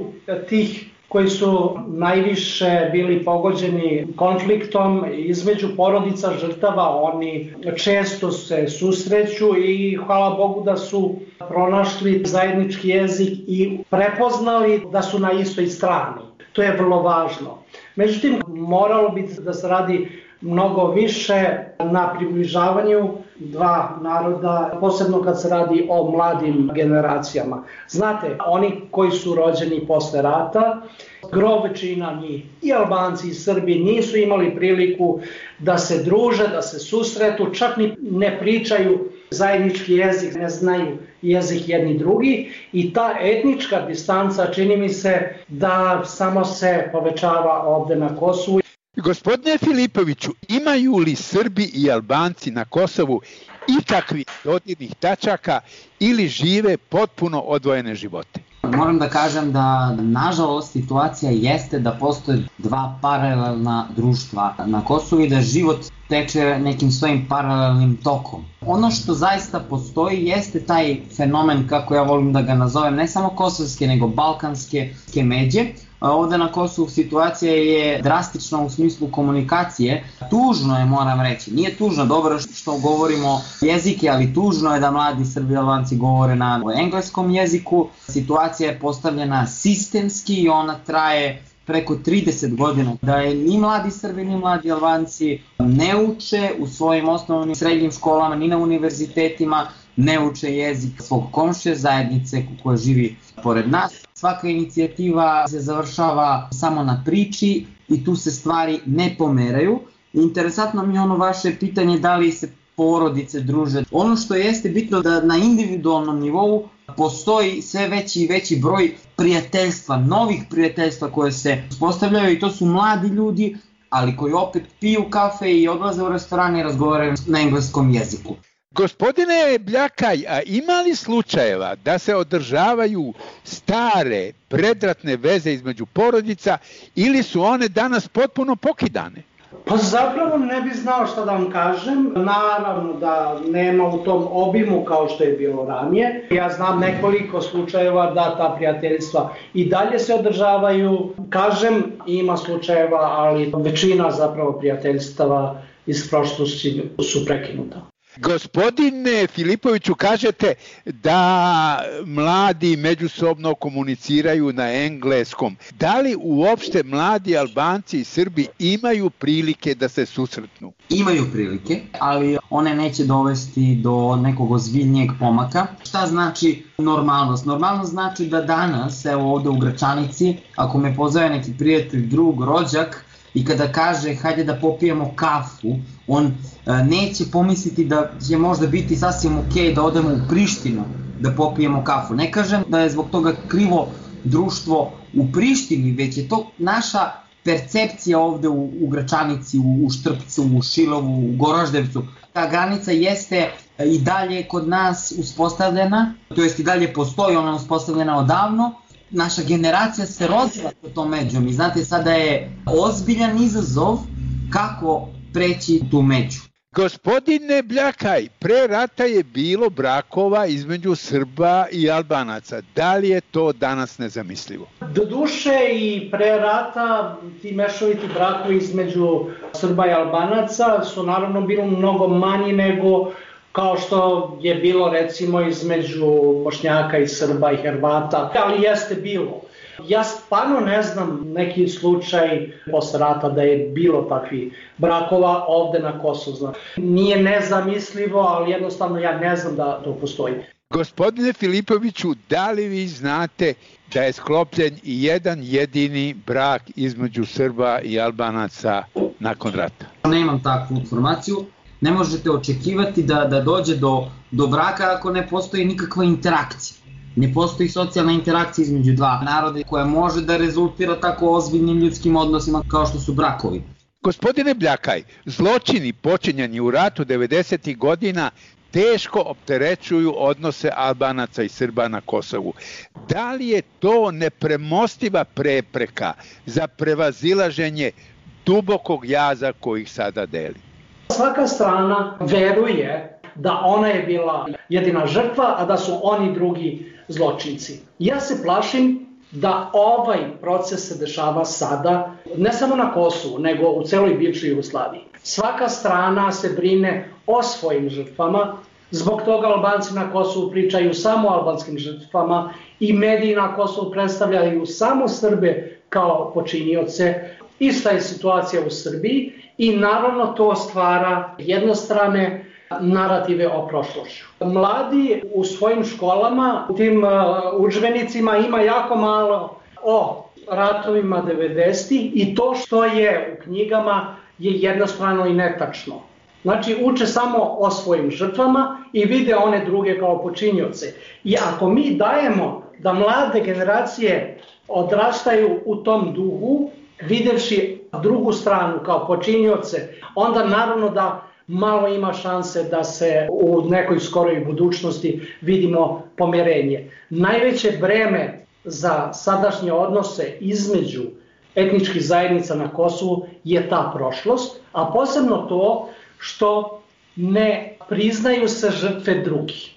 tih koji su najviše bili pogođeni konfliktom, između porodica žrtava, oni često se susreću i hvala Bogu da su pronašli zajednički jezik i prepoznali da su na istoj strani. To je vrlo važno. Međutim, moralo bi da se radi mnogo više na približavanju dva naroda, posebno kad se radi o mladim generacijama. Znate, oni koji su rođeni posle rata, gro većina njih, i Albanci i Srbi, nisu imali priliku da se druže, da se susretu, čak ni ne pričaju zajednički jezik, ne znaju jezik jedni drugi i ta etnička distanca čini mi se da samo se povećava ovde na Kosovu. Gospodine Filipoviću, imaju li Srbi i Albanci na Kosovu ikakvih dodirnih tačaka ili žive potpuno odvojene živote? Moram da kažem da, nažalost, situacija jeste da postoje dva paralelna društva na Kosovu i da život teče nekim svojim paralelnim tokom. Ono što zaista postoji jeste taj fenomen, kako ja volim da ga nazovem, ne samo kosovske, nego balkanske međe. Ovde na Kosovu situacija je drastična u smislu komunikacije. Tužno je, moram reći, nije tužno, dobro što govorimo jezike, ali tužno je da mladi Srbi i Albanci govore na engleskom jeziku. Situacija je postavljena sistemski i ona traje preko trideset godina. Da je ni mladi Srbi ni mladi Albanci ne uče u svojim osnovnim srednjim školama, ni na univerzitetima, ne uče jezik svog komšije, zajednice koja živi pored nas. Svaka inicijativa se završava samo na priči i tu se stvari ne pomeraju. Interesantno mi je ono vaše pitanje da li se porodice druže. Ono što jeste bitno da na individualnom nivou postoji sve veći i veći broj prijateljstva, novih prijateljstva koje se uspostavljaju i to su mladi ljudi, ali koji opet piju kafe i odlaze u restorane i razgovaraju na engleskom jeziku. Gospodine Bljakaj, a ima li slučajeva da se održavaju stare predratne veze između porodica ili su one danas potpuno pokidane? Pa zapravo ne bi znao šta da vam kažem. Naravno da nema u tom obimu kao što je bilo ranije. Ja znam nekoliko slučajeva da ta prijateljstva i dalje se održavaju. Kažem, ima slučajeva, ali većina zapravo prijateljstava iz prošlosti su prekinuta. Gospodine Filipoviću, kažete da mladi međusobno komuniciraju na engleskom. Da li uopšte mladi Albanci i Srbi imaju prilike da se susretnu? Imaju prilike, ali one neće dovesti do nekog ozbiljnijeg pomaka. Šta znači normalnost? Normalnost znači da danas, evo ovde u Gračanici, ako me pozove neki prijatelj, drug, rođak, i kada kaže hajde da popijemo kafu, on e, neće pomisliti da će možda biti sasvim okej da odemo u Prištinu da popijemo kafu. Ne kažem da je zbog toga krivo društvo u Prištini, već je to naša percepcija ovde u, u Gračanici, u, u Štrpcu, u Šilovu, u Goroždevcu. Ta granica jeste i dalje kod nas uspostavljena, to jest i dalje postoji, ona je uspostavljena odavno. Naša generacija se rozvila sa tom međom i znate, sada je ozbiljan izazov kako preći tu među. Gospodine Bljakaj, pre rata je bilo brakova između Srba i Albanaca. Da li je to danas nezamislivo? Doduše i pre rata ti mešoviti brakovi između Srba i Albanaca su naravno bili mnogo manji nego kao što je bilo recimo između Bošnjaka i Srba i Hrvata, ali jeste bilo. Ja stvarno ne znam neki slučaj posle rata da je bilo takvih brakova ovde na Kosovu. Nije nezamislivo, ali jednostavno ja ne znam da to postoji. Gospodine Filipoviću, da li vi znate da je sklopljen i jedan jedini brak između Srba i Albanaca nakon rata? Nemam takvu informaciju. Ne možete očekivati da, da dođe do, do braka ako ne postoji nikakva interakcija. Ne postoji socijalna interakcija između dva naroda koja može da rezultira tako ozbiljnim ljudskim odnosima kao što su brakovi. Gospodine Bljakaj, zločini počinjeni u ratu devedesetih godina teško opterećuju odnose Albanaca i Srba na Kosovu. Da li je to nepremostiva prepreka za prevazilaženje dubokog jaza koji ih sada deli? Svaka strana veruje da ona je bila jedina žrtva, a da su oni drugi zločinci. Ja se plašim da ovaj proces se dešava sada, ne samo na Kosovu, nego u celoj bivšoj Jugoslaviji. Svaka strana se brine o svojim žrtvama, zbog toga Albanci na Kosovu pričaju samo o albanskim žrtvama i mediji na Kosovu predstavljaju samo Srbe kao počinioce. Ista je situacija u Srbiji i naravno to stvara jednostrane narative o prošlošću. Mladi u svojim školama, u tim udžbenicima ima jako malo o ratovima devedesetih i to što je u knjigama je jednostrano i netačno. Znači uče samo o svojim žrtvama i vide one druge kao počinioce. I ako mi dajemo da mlade generacije odrastaju u tom duhu, videvši drugu stranu kao počinioce, onda naravno da malo ima šanse da se u nekoj skoroj budućnosti vidimo pomirenje. Najveće breme za sadašnje odnose između etničkih zajednica na Kosovu je ta prošlost, a posebno to što ne priznaju se žrtve drugih.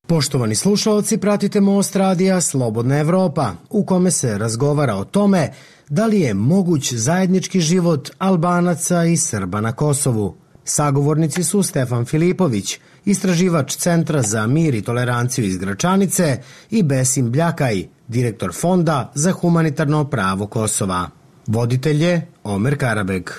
Poštovani slušalci, pratite Most radija Slobodna Evropa, u kome se razgovara o tome da li je moguć zajednički život Albanaca i Srba na Kosovu. Sagovornici su Stefan Filipović, istraživač Centra za mir i toleranciju iz Gračanice, i Besim Bljakaj, direktor Fonda za humanitarno pravo Kosova. Voditelj je Omer Karabeg.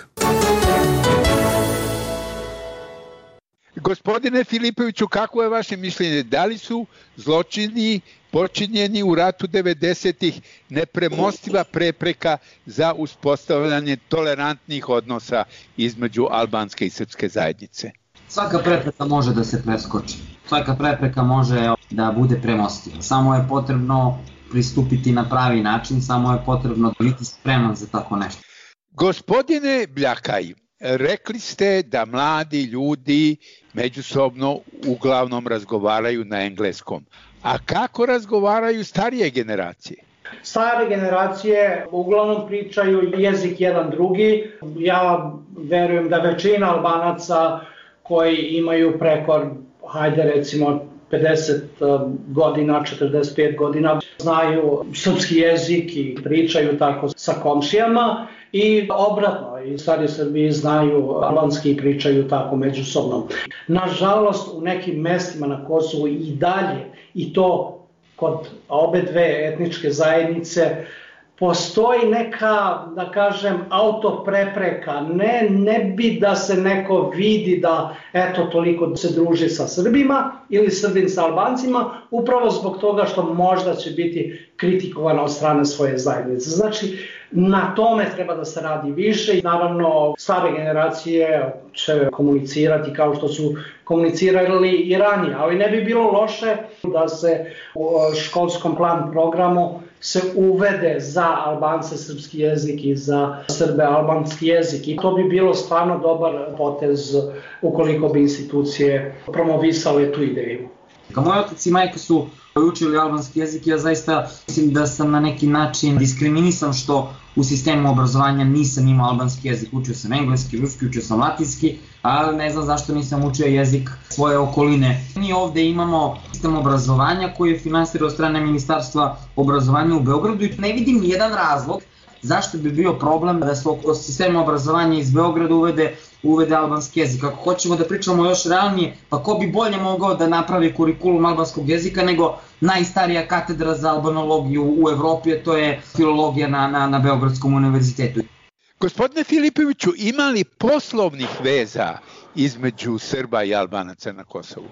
Gospodine Filipoviću, kako je vaše mišljenje? Da li su zločini počinjeni u ratu devedesetih nepremostiva prepreka za uspostavljanje tolerantnih odnosa između albanske i srpske zajednice? Svaka prepreka može da se preskoči. Svaka prepreka može da bude premostiva. Samo je potrebno pristupiti na pravi način, samo je potrebno biti spreman za tako nešto. Gospodine Bljakaj, rekli ste da mladi ljudi međusobno uglavnom razgovaraju na engleskom. A kako razgovaraju starije generacije? Stare generacije uglavnom pričaju jezik jedan drugi. Ja verujem da većina Albanaca koji imaju preko, hajde recimo, pedeset godina, četrdeset pet godina, znaju srpski jezik i pričaju tako sa komšijama. I obratno, i stari Srbi znaju albanski i pričaju tako međusobno. Nažalost, u nekim mestima na Kosovu i dalje, i to kod obe dve etničke zajednice, postoji neka, da kažem, autoprepreka. Ne, ne bi da se neko vidi da eto toliko se druži sa Srbima ili Srbin sa Albancima, upravo zbog toga što možda će biti kritikovana od strane svoje zajednice. Znači, na tome treba da se radi više i naravno stare generacije će komunicirati kao što su komunicirali i ranije, ali ne bi bilo loše da se u školskom plan programu se uvede za Albance srpski jezik i za Srbe albanski jezik i to bi bilo stvarno dobar potez ukoliko bi institucije promovisale tu ideju. Kao moj otac i majka su učili albanski jezik, ja zaista mislim da sam na neki način diskriminisan što u sistemu obrazovanja nisam imao albanski jezik, učio sam engleski, ruski, učio sam latinski, ali ne znam zašto nisam učio jezik svoje okoline. Mi ovde imamo sistem obrazovanja koji je finansiran od strane Ministarstva obrazovanja u Beogradu i ne vidim nijedan razlog zašto bi bio problem da se u sistemu obrazovanja iz Beograda uvede, uvede albanski jezik. Ako hoćemo da pričamo još realnije, pa ko bi bolje mogao da napravi kurikulum albanskog jezika nego najstarija katedra za albanologiju u Evropi, a to je filologija na, na, na Beogradskom univerzitetu. Gospodine Filipoviću, ima li poslovnih veza između Srba i Albanaca na Kosovu?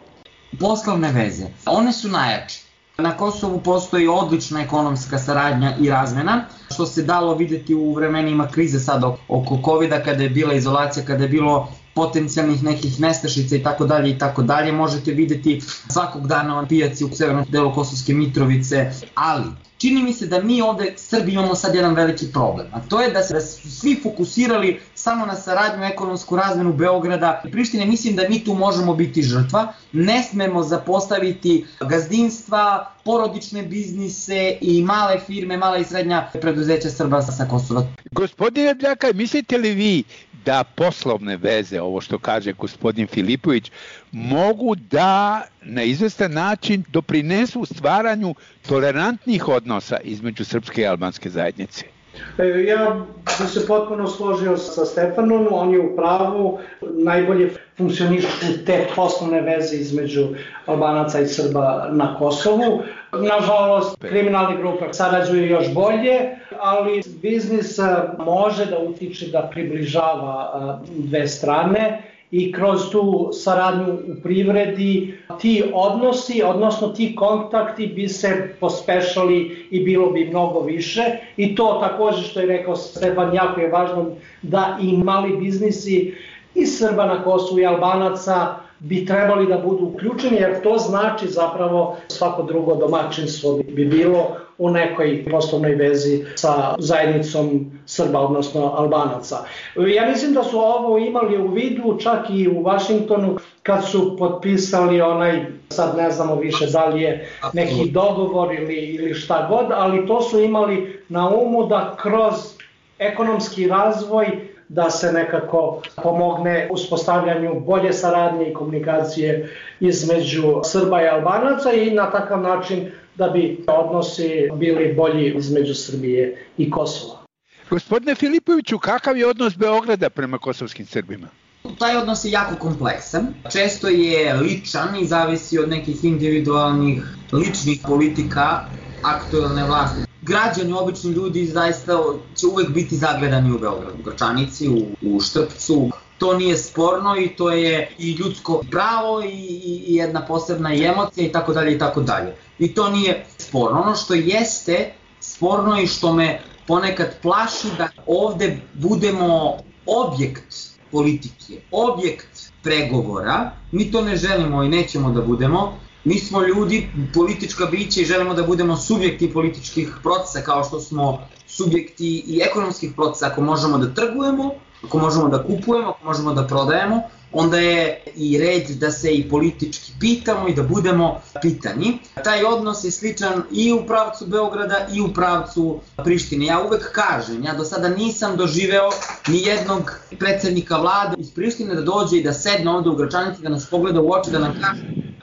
Poslovne veze, one su najjače. Na Kosovu postoji odlična ekonomska saradnja i razmena, što se dalo videti u vremenima krize sad oko kovida, kada je bila izolacija, kada je bilo potencijalnih nekih nestašica i tako dalje i tako dalje. Možete videti svakog dana na pijaci u severnom delu Kosovske Mitrovice, ali čini mi se da mi ovde Srbi imamo sad jedan veliki problem, a to je da se da su svi fokusirali samo na saradnju, ekonomsku razmenu Beograda i Prištine. Mislim da mi tu možemo biti žrtva, ne smemo zapostaviti gazdinstva, porodične biznise i male firme, mala i srednja preduzeća Srba sa Kosova. Gospodine Bljaka, mislite li vi da poslovne veze, ovo što kaže gospodin Filipović, mogu da na izvestan način doprinesu stvaranju tolerantnih odnosa između srpske i albanske zajednice? Ja bih se potpuno složio sa Stefanom, on je u pravu, najbolje funkcionišu te poslovne veze između Albanaca i Srba na Kosovu. Nažalost, kriminalne grupe sarađuju još bolje, ali biznis može da utiče da približava dve strane i kroz tu saradnju u privredi ti odnosi, odnosno ti kontakti bi se pospešali i bilo bi mnogo više. I to također što je rekao Stefan, jako je važno da i mali biznisi i Srba na Kosovu i Albanaca bi trebali da budu uključeni, jer to znači zapravo svako drugo domaćinstvo bi bilo u nekoj poslovnoj vezi sa zajednicom Srba, odnosno Albanaca. Ja mislim da su ovo imali u vidu čak i u Vašingtonu kad su potpisali onaj, sad ne znamo više da li je neki dogovor ili, ili šta god, ali to su imali na umu da kroz ekonomski razvoj da se nekako pomogne uspostavljanju bolje saradnje i komunikacije između Srba i Albanaca i na takav način da bi odnosi bili bolji između Srbije i Kosova. Gospodine Filipoviću, kakav je odnos Beograda prema kosovskim Srbima? Taj odnos je jako kompleksan, često je ličan i zavisi od nekih individualnih ličnih politika aktuelne vlasti. Građani, obični ljudi zaista će uvek biti zagledani u Beogradu, u Gračanici, u, u Štrpcu. To nije sporno i to je i ljudsko pravo i, i, i jedna posebna i emocija i tako dalje i tako dalje. I to nije sporno. Ono što jeste sporno i što me ponekad plaši da ovde budemo objekt politike, objekt pregovora. Mi to ne želimo i nećemo da budemo. Mi smo ljudi, politička bića i želimo da budemo subjekti političkih procesa kao što smo subjekti i ekonomskih procesa. Ako možemo da trgujemo, ako možemo da kupujemo, ako možemo da prodajemo, onda je i red da se i politički pitamo i da budemo pitani. Taj odnos je sličan i u pravcu Beograda i u pravcu Prištine. Ja uvek kažem, ja do sada nisam doživeo ni jednog predsjednika vlade iz Prištine da dođe i da sedne ovde u Gračanici, da nas pogleda u oči, da nam kaže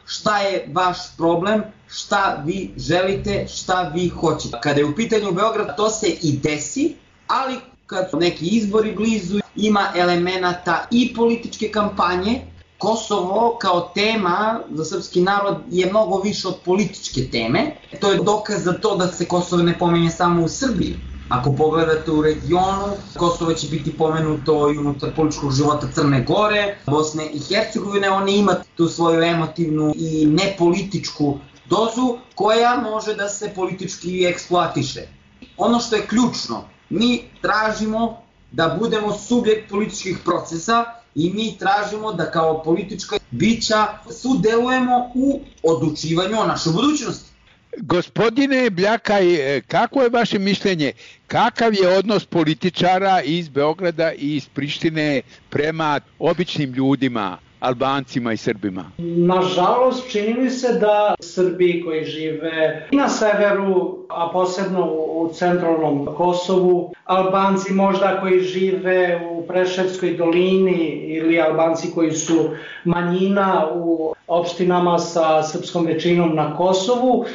šta je vaš problem, šta vi želite, šta vi hoćete. Kada je u pitanju Beograd, to se i desi, ali kad su neki izbori blizu, ima elemenata i političke kampanje. Kosovo kao tema za srpski narod je mnogo više od političke teme. To je dokaz za to da se Kosovo ne pominje samo u Srbiji. Ako pogledate u regionu, Kosovo će biti pomenuto i unutar političkog života Crne Gore, Bosne i Hercegovine. Oni ima tu svoju emotivnu i nepolitičku dozu koja može da se politički eksploatiše. Ono što je ključno, mi tražimo da budemo subjekt političkih procesa i mi tražimo da kao politička bića sudelujemo u odlučivanju o našoj budućnosti. Gospodine Bljaka, kako je vaše mišljenje, kakav je odnos političara iz Beograda i iz Prištine prema običnim ljudima, Albancima i Srbima? Nažalost, čini mi se da Srbi koji žive na severu, a posebno u centralnom Kosovu, Albanci možda koji žive u Preševskoj dolini ili Albanci koji su manjina u opštinama sa srpskom većinom na Kosovu,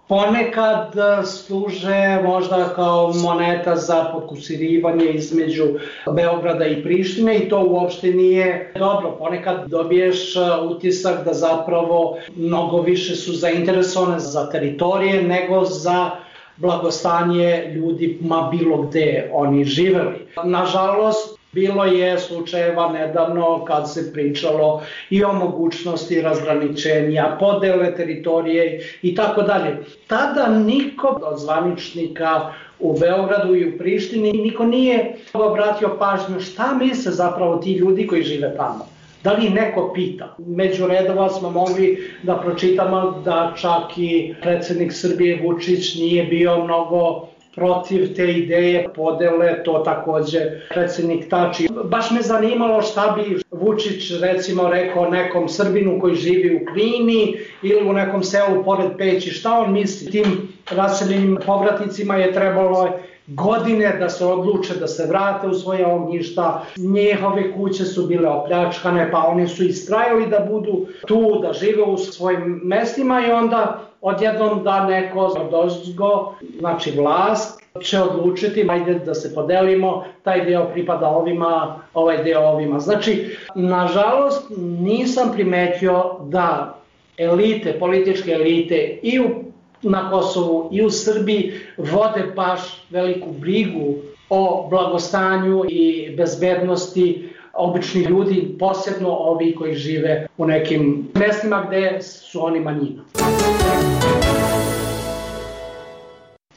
ponekad služe možda kao moneta za potkusirivanje između Beograda i Prištine i to uopšte nije dobro. Ponekad dobiješ utisak da zapravo mnogo više su zainteresovane za teritorije nego za blagostanje ljudi ma bilo gde oni živeli. Nažalost, Bilo je slučajeva nedavno kad se pričalo i o mogućnosti razgraničenja, podele teritorije i tako dalje. Tada niko od zvaničnika u Beogradu i u Prištini niko nije obratio pažnju šta misle zapravo ti ljudi koji žive tamo. Da li neko pita? Među redova smo mogli da pročitamo da čak i predsjednik Srbije Vučić nije bio mnogo protiv te ideje podele, to takođe predsjednik Tači. Baš me zanimalo šta bi Vučić recimo rekao nekom Srbinu koji živi u Klini ili u nekom selu pored Peći, šta on misli? Tim raseljenim povratnicima je trebalo godine da se odluče da se vrate u svoje ognjišta, njihove kuće su bile opljačkane, pa oni su istrajali da budu tu, da žive u svojim mestima i onda odjednom da neko dozgo, znači vlast, će odlučiti, ajde da se podelimo, taj deo pripada ovima, ovaj deo ovima. Znači, nažalost, nisam primetio da elite, političke elite i u na Kosovu i u Srbiji vode baš veliku brigu o blagostanju i bezbednosti običnih ljudi, posebno ovi koji žive u nekim mestima gde su oni manjina.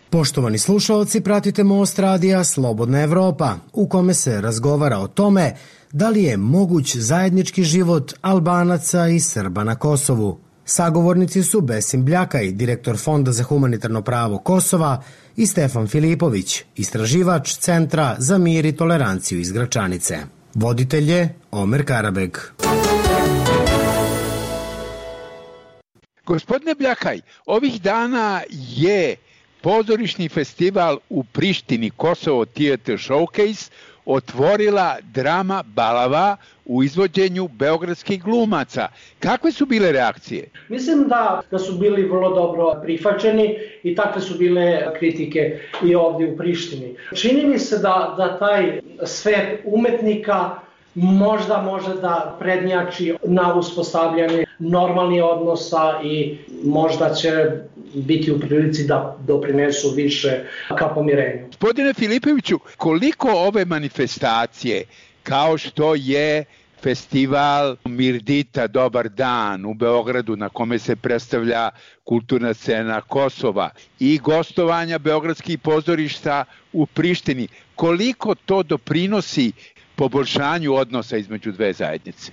Poštovani slušalci, pratite Most radija Slobodna Evropa, u kome se razgovara o tome da li je moguć zajednički život Albanaca i Srba na Kosovu. Sagovornici su Besim Bljakaj, direktor Fonda za humanitarno pravo Kosova, i Stefan Filipović, istraživač Centra za mir i toleranciju iz Gračanice. Voditelj je Omer Karabeg. Gospodine Bljakaj, ovih dana je pozorišni festival u Prištini, Kosovo Theatre Showcase, otvorila drama Balava u izvođenju beogradskih glumaca. Kakve su bile reakcije? Mislim da, da su bili vrlo dobro prihvaćeni i takve su bile kritike i ovdje u Prištini. Čini mi se da, da taj svet umetnika možda može da prednjači na uspostavljanje normalnih odnosa i možda će biti u prilici da doprinesu više ka pomirenju. Gospodine Filipoviću, koliko ove manifestacije, kao što je festival Mirdita Dobar dan u Beogradu na kome se predstavlja kulturna scena Kosova i gostovanja beogradskih pozorišta u Prištini, koliko to doprinosi poboljšanju odnosa između dve zajednice?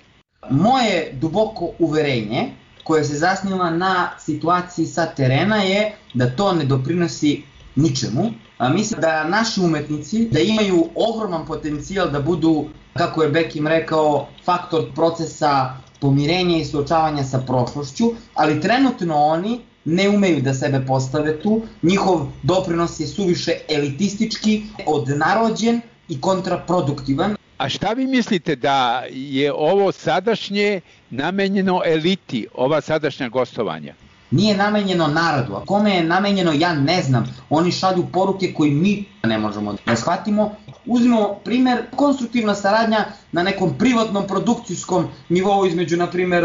Moje duboko uverenje, koje se zasniva na situaciji sa terena, je da to ne doprinosi ničemu. A mislim da naši umetnici da imaju ogroman potencijal da budu, kako je Bekim rekao, faktor procesa pomirenja i suočavanja sa prošlošću, ali trenutno oni ne umeju da sebe postave tu. Njihov doprinos je suviše elitistički, odnarođen i kontraproduktivan. A šta vi mislite da je ovo sadašnje namenjeno eliti, ova sadašnja gostovanja? Nije namenjeno narodu, a kome je namenjeno ja ne znam. Oni šalju poruke koje mi ne možemo da shvatimo. Uzmimo primer, konstruktivna saradnja na nekom privatnom produkcijskom nivou između, na primer,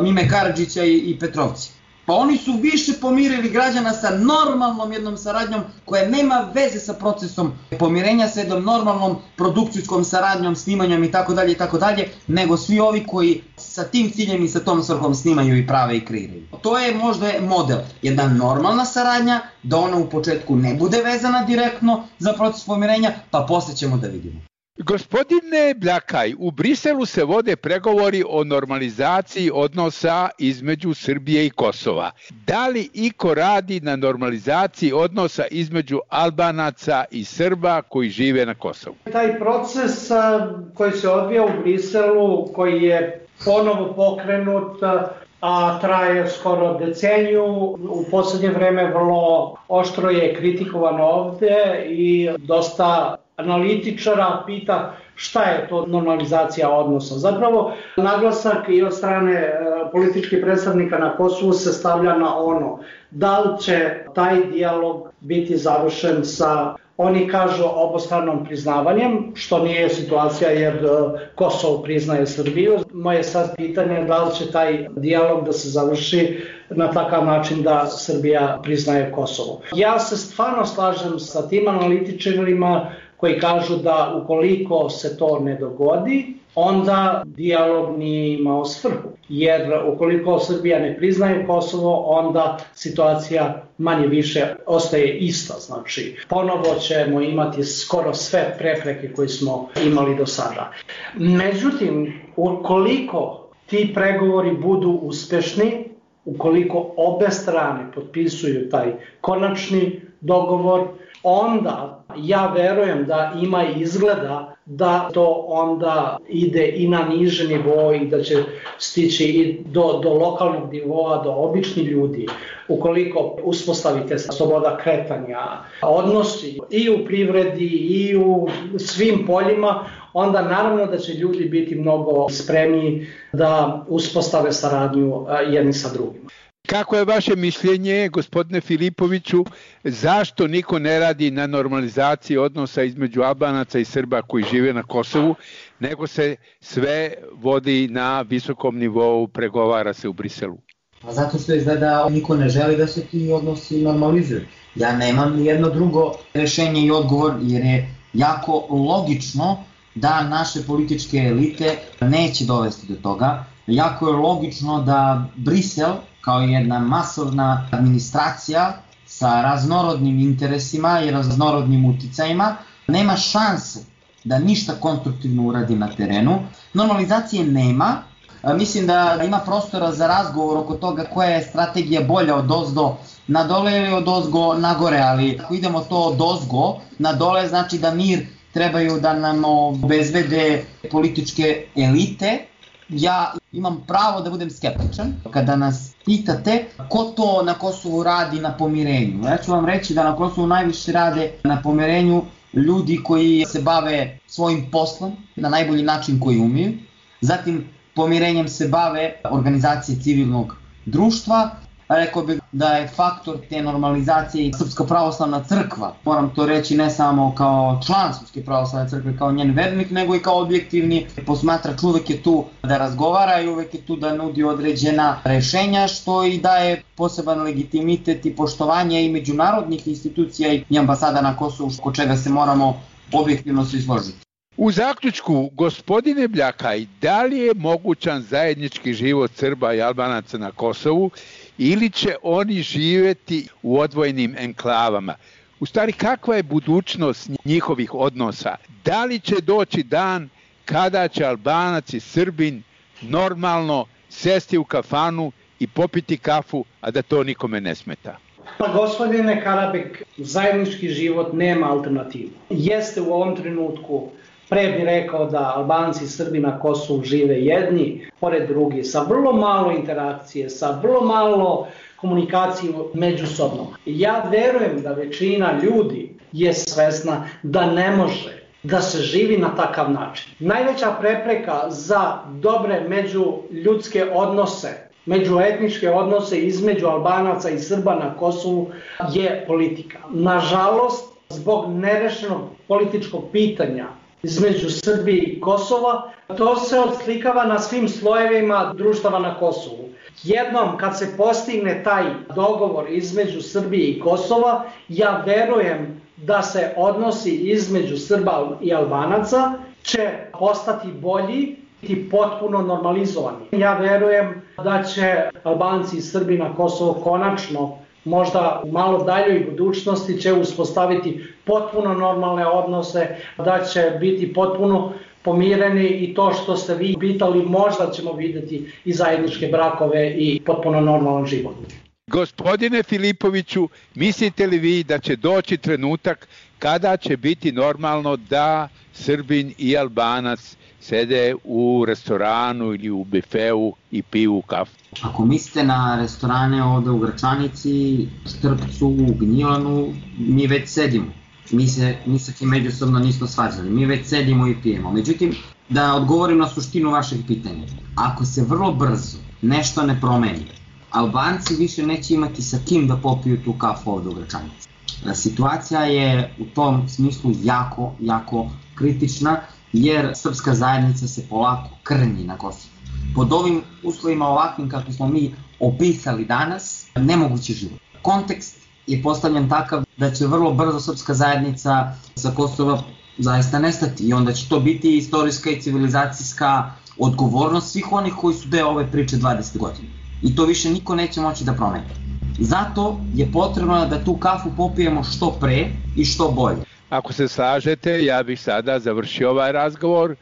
Mime Karadžića i Petrovci. Pa oni su više pomirili građana sa normalnom jednom saradnjom koja nema veze sa procesom pomirenja, sa jednom normalnom produkcijskom saradnjom, snimanjem i tako dalje i tako dalje, nego svi ovi koji sa tim ciljem i sa tom svrhom snimaju i prave i kreiraju. To je možda model, jedna normalna saradnja, da ona u početku ne bude vezana direktno za proces pomirenja, pa posle ćemo da vidimo. Gospodine Bljakaj, u Briselu se vode pregovori o normalizaciji odnosa između Srbije i Kosova. Da li iko radi na normalizaciji odnosa između Albanaca i Srba koji žive na Kosovu? Taj proces koji se odvija u Briselu, koji je ponovo pokrenut, a traje skoro deceniju, u poslednje vreme vrlo oštro je kritikovan ovde i dosta analitičara pita šta je to normalizacija odnosa. Zapravo, naglasak i od strane političkih predstavnika na Kosovu se stavlja na ono da li će taj dijalog biti završen sa, oni kažu, obostranom priznavanjem, što nije situacija jer Kosovo priznaje Srbiju. Moje sad pitanje je da li će taj dijalog da se završi na takav način da Srbija priznaje Kosovo. Ja se stvarno slažem sa tim analitičarima koji kažu da ukoliko se to ne dogodi, onda dijalog nije imao svrhu. Jer ukoliko Srbija ne priznaje Kosovo, onda situacija manje više ostaje ista. Znači, ponovo ćemo imati skoro sve prepreke koje smo imali do sada. Međutim, ukoliko ti pregovori budu uspešni, ukoliko obe strane potpisuju taj konačni dogovor, onda ja verujem da ima izgleda da to onda ide i na niže nivo i da će stići i do, do lokalnog nivoa, do običnih ljudi. Ukoliko uspostavite sloboda kretanja, odnosi i u privredi i u svim poljima, onda naravno da će ljudi biti mnogo spremniji da uspostave saradnju jedni sa drugima. Kako je vaše mišljenje, gospodine Filipoviću, zašto niko ne radi na normalizaciji odnosa između Albanaca i Srba koji žive na Kosovu, nego se sve vodi na visokom nivou, pregovara se u Briselu? Zato što izgleda niko ne želi da se ti odnosi normalizuju. Ja nemam ni jedno drugo rešenje i odgovor, jer je jako logično da naše političke elite neće dovesti do toga. Jako je logično da Brisel, kao jedna masovna administracija sa raznorodnim interesima i raznorodnim uticajima, nema šanse da ništa konstruktivno uradi na terenu. Normalizacije nema. Mislim da ima prostora za razgovor oko toga koja je strategija bolja od ozdo na dole ili od ozgo na gore, ali ako idemo to od ozgo na dole, znači da mir trebaju da nam obezbede političke elite. Ja imam pravo da budem skeptičan kada nas pitate ko to na Kosovu radi na pomirenju. Ja ću vam reći da na Kosovu najviše rade na pomirenju ljudi koji se bave svojim poslom na najbolji način koji umiju. Zatim pomirenjem se bave organizacije civilnog društva. Rekao bih da je faktor te normalizacije i Srpska pravoslavna crkva. Moram to reći ne samo kao član Srpske pravoslavne crkve, kao njen vernik, nego i kao objektivni posmatrač. Uvek je tu da razgovara i uvek je tu da nudi određena rešenja, što i daje poseban legitimitet i poštovanje i međunarodnih institucija i ambasada na Kosovu, oko čega se moramo objektivno svi složiti. U zaključku, gospodine Bljakaj, da li je mogućan zajednički život Srba i Albanaca na Kosovu ili će oni živjeti u odvojenim enklavama? U stvari, kakva je budućnost njihovih odnosa? Da li će doći dan kada će Albanac i Srbin normalno sesti u kafanu i popiti kafu, a da to nikome ne smeta? Pa gospodine Karabek, zajednički život nema alternativu. Jeste u ovom trenutku, pre bih rekao da Albanci i Srbi na Kosovu žive jedni pored drugi, sa vrlo malo interakcije, sa vrlo malo komunikacije međusobno. Ja verujem da većina ljudi je svesna da ne može da se živi na takav način. Najveća prepreka za dobre međuljudske odnose, međuetničke odnose između Albanaca i Srba na Kosovu je politika. Nažalost, zbog nerešenog političkog pitanja između Srbije i Kosova, to se odslikava na svim slojevima društava na Kosovu. Jednom kad se postigne taj dogovor između Srbije i Kosova, ja verujem da se odnosi između Srba i Albanaca će postati bolji i potpuno normalizovani. Ja verujem da će Albanci i Srbi na Kosovo konačno, možda u malo daljoj budućnosti, će uspostaviti potpuno normalne odnose, da će biti potpuno pomireni i to što ste vi pitali, možda ćemo vidjeti i zajedničke brakove i potpuno normalan život. Gospodine Filipoviću, mislite li vi da će doći trenutak kada će biti normalno da Srbin i Albanac sede u restoranu ili u bifeu i piju kafu? Ako mislite na restorane ovde u Gračanici, Štrpcu, Gnjilanu, mi već sedimo. Mi se mi sa kim međusobno nismo svađali. Mi već sedimo i pijemo. Međutim, da odgovorim na suštinu vašeg pitanja. Ako se vrlo brzo nešto ne promeni, Albanci više neće imati sa kim da popiju tu kafu ovde u Gračanici. Situacija je u tom smislu jako, jako kritična, jer srpska zajednica se polako krnji na Kosovu. Pod ovim uslovima ovakvim kako smo mi opisali danas, nemogući život. Kontekst je postavljen takav da će vrlo brzo srpska zajednica sa Kosova zaista nestati i onda će to biti istorijska i civilizacijska odgovornost svih onih koji su deo ove priče dvadeset godina. I to više niko neće moći da promeni. Zato je potrebno da tu kafu popijemo što pre i što bolje. Ako se slažete, ja bih sada završio ovaj razgovor.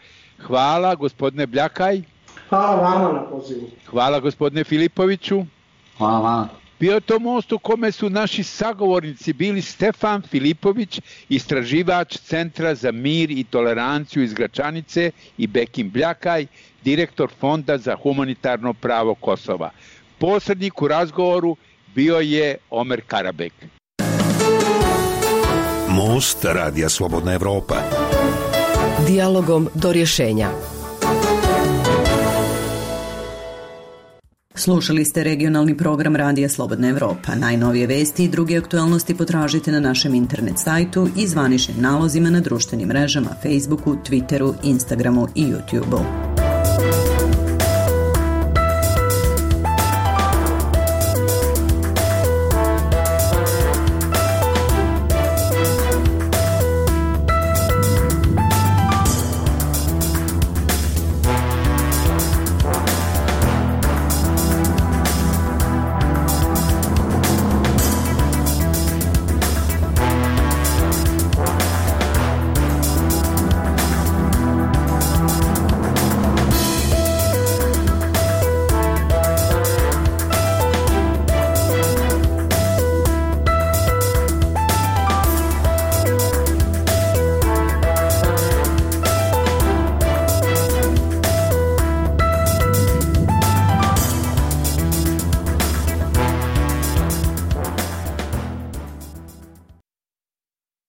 Hvala, gospodine Bljakaj. Hvala vama na pozivu. Hvala, gospodine Filipoviću. Hvala vama. Bio to most u kome su naši sagovornici bili Stefan Filipović, istraživač Centra za mir i toleranciju iz Gračanice, i Bekim Bljakaj, direktor Fonda za humanitarno pravo Kosova. Posrednik u razgovoru bio je Omer Karabek. Most Radija Slobodna Evropa. Dijalogom do rješenja. Slušali ste regionalni program Radija Slobodna Evropa. Najnovije vesti i druge aktualnosti potražite na našem internet sajtu i zvaničnim nalozima na društvenim mrežama Facebooku, Twitteru, Instagramu i YouTubeu.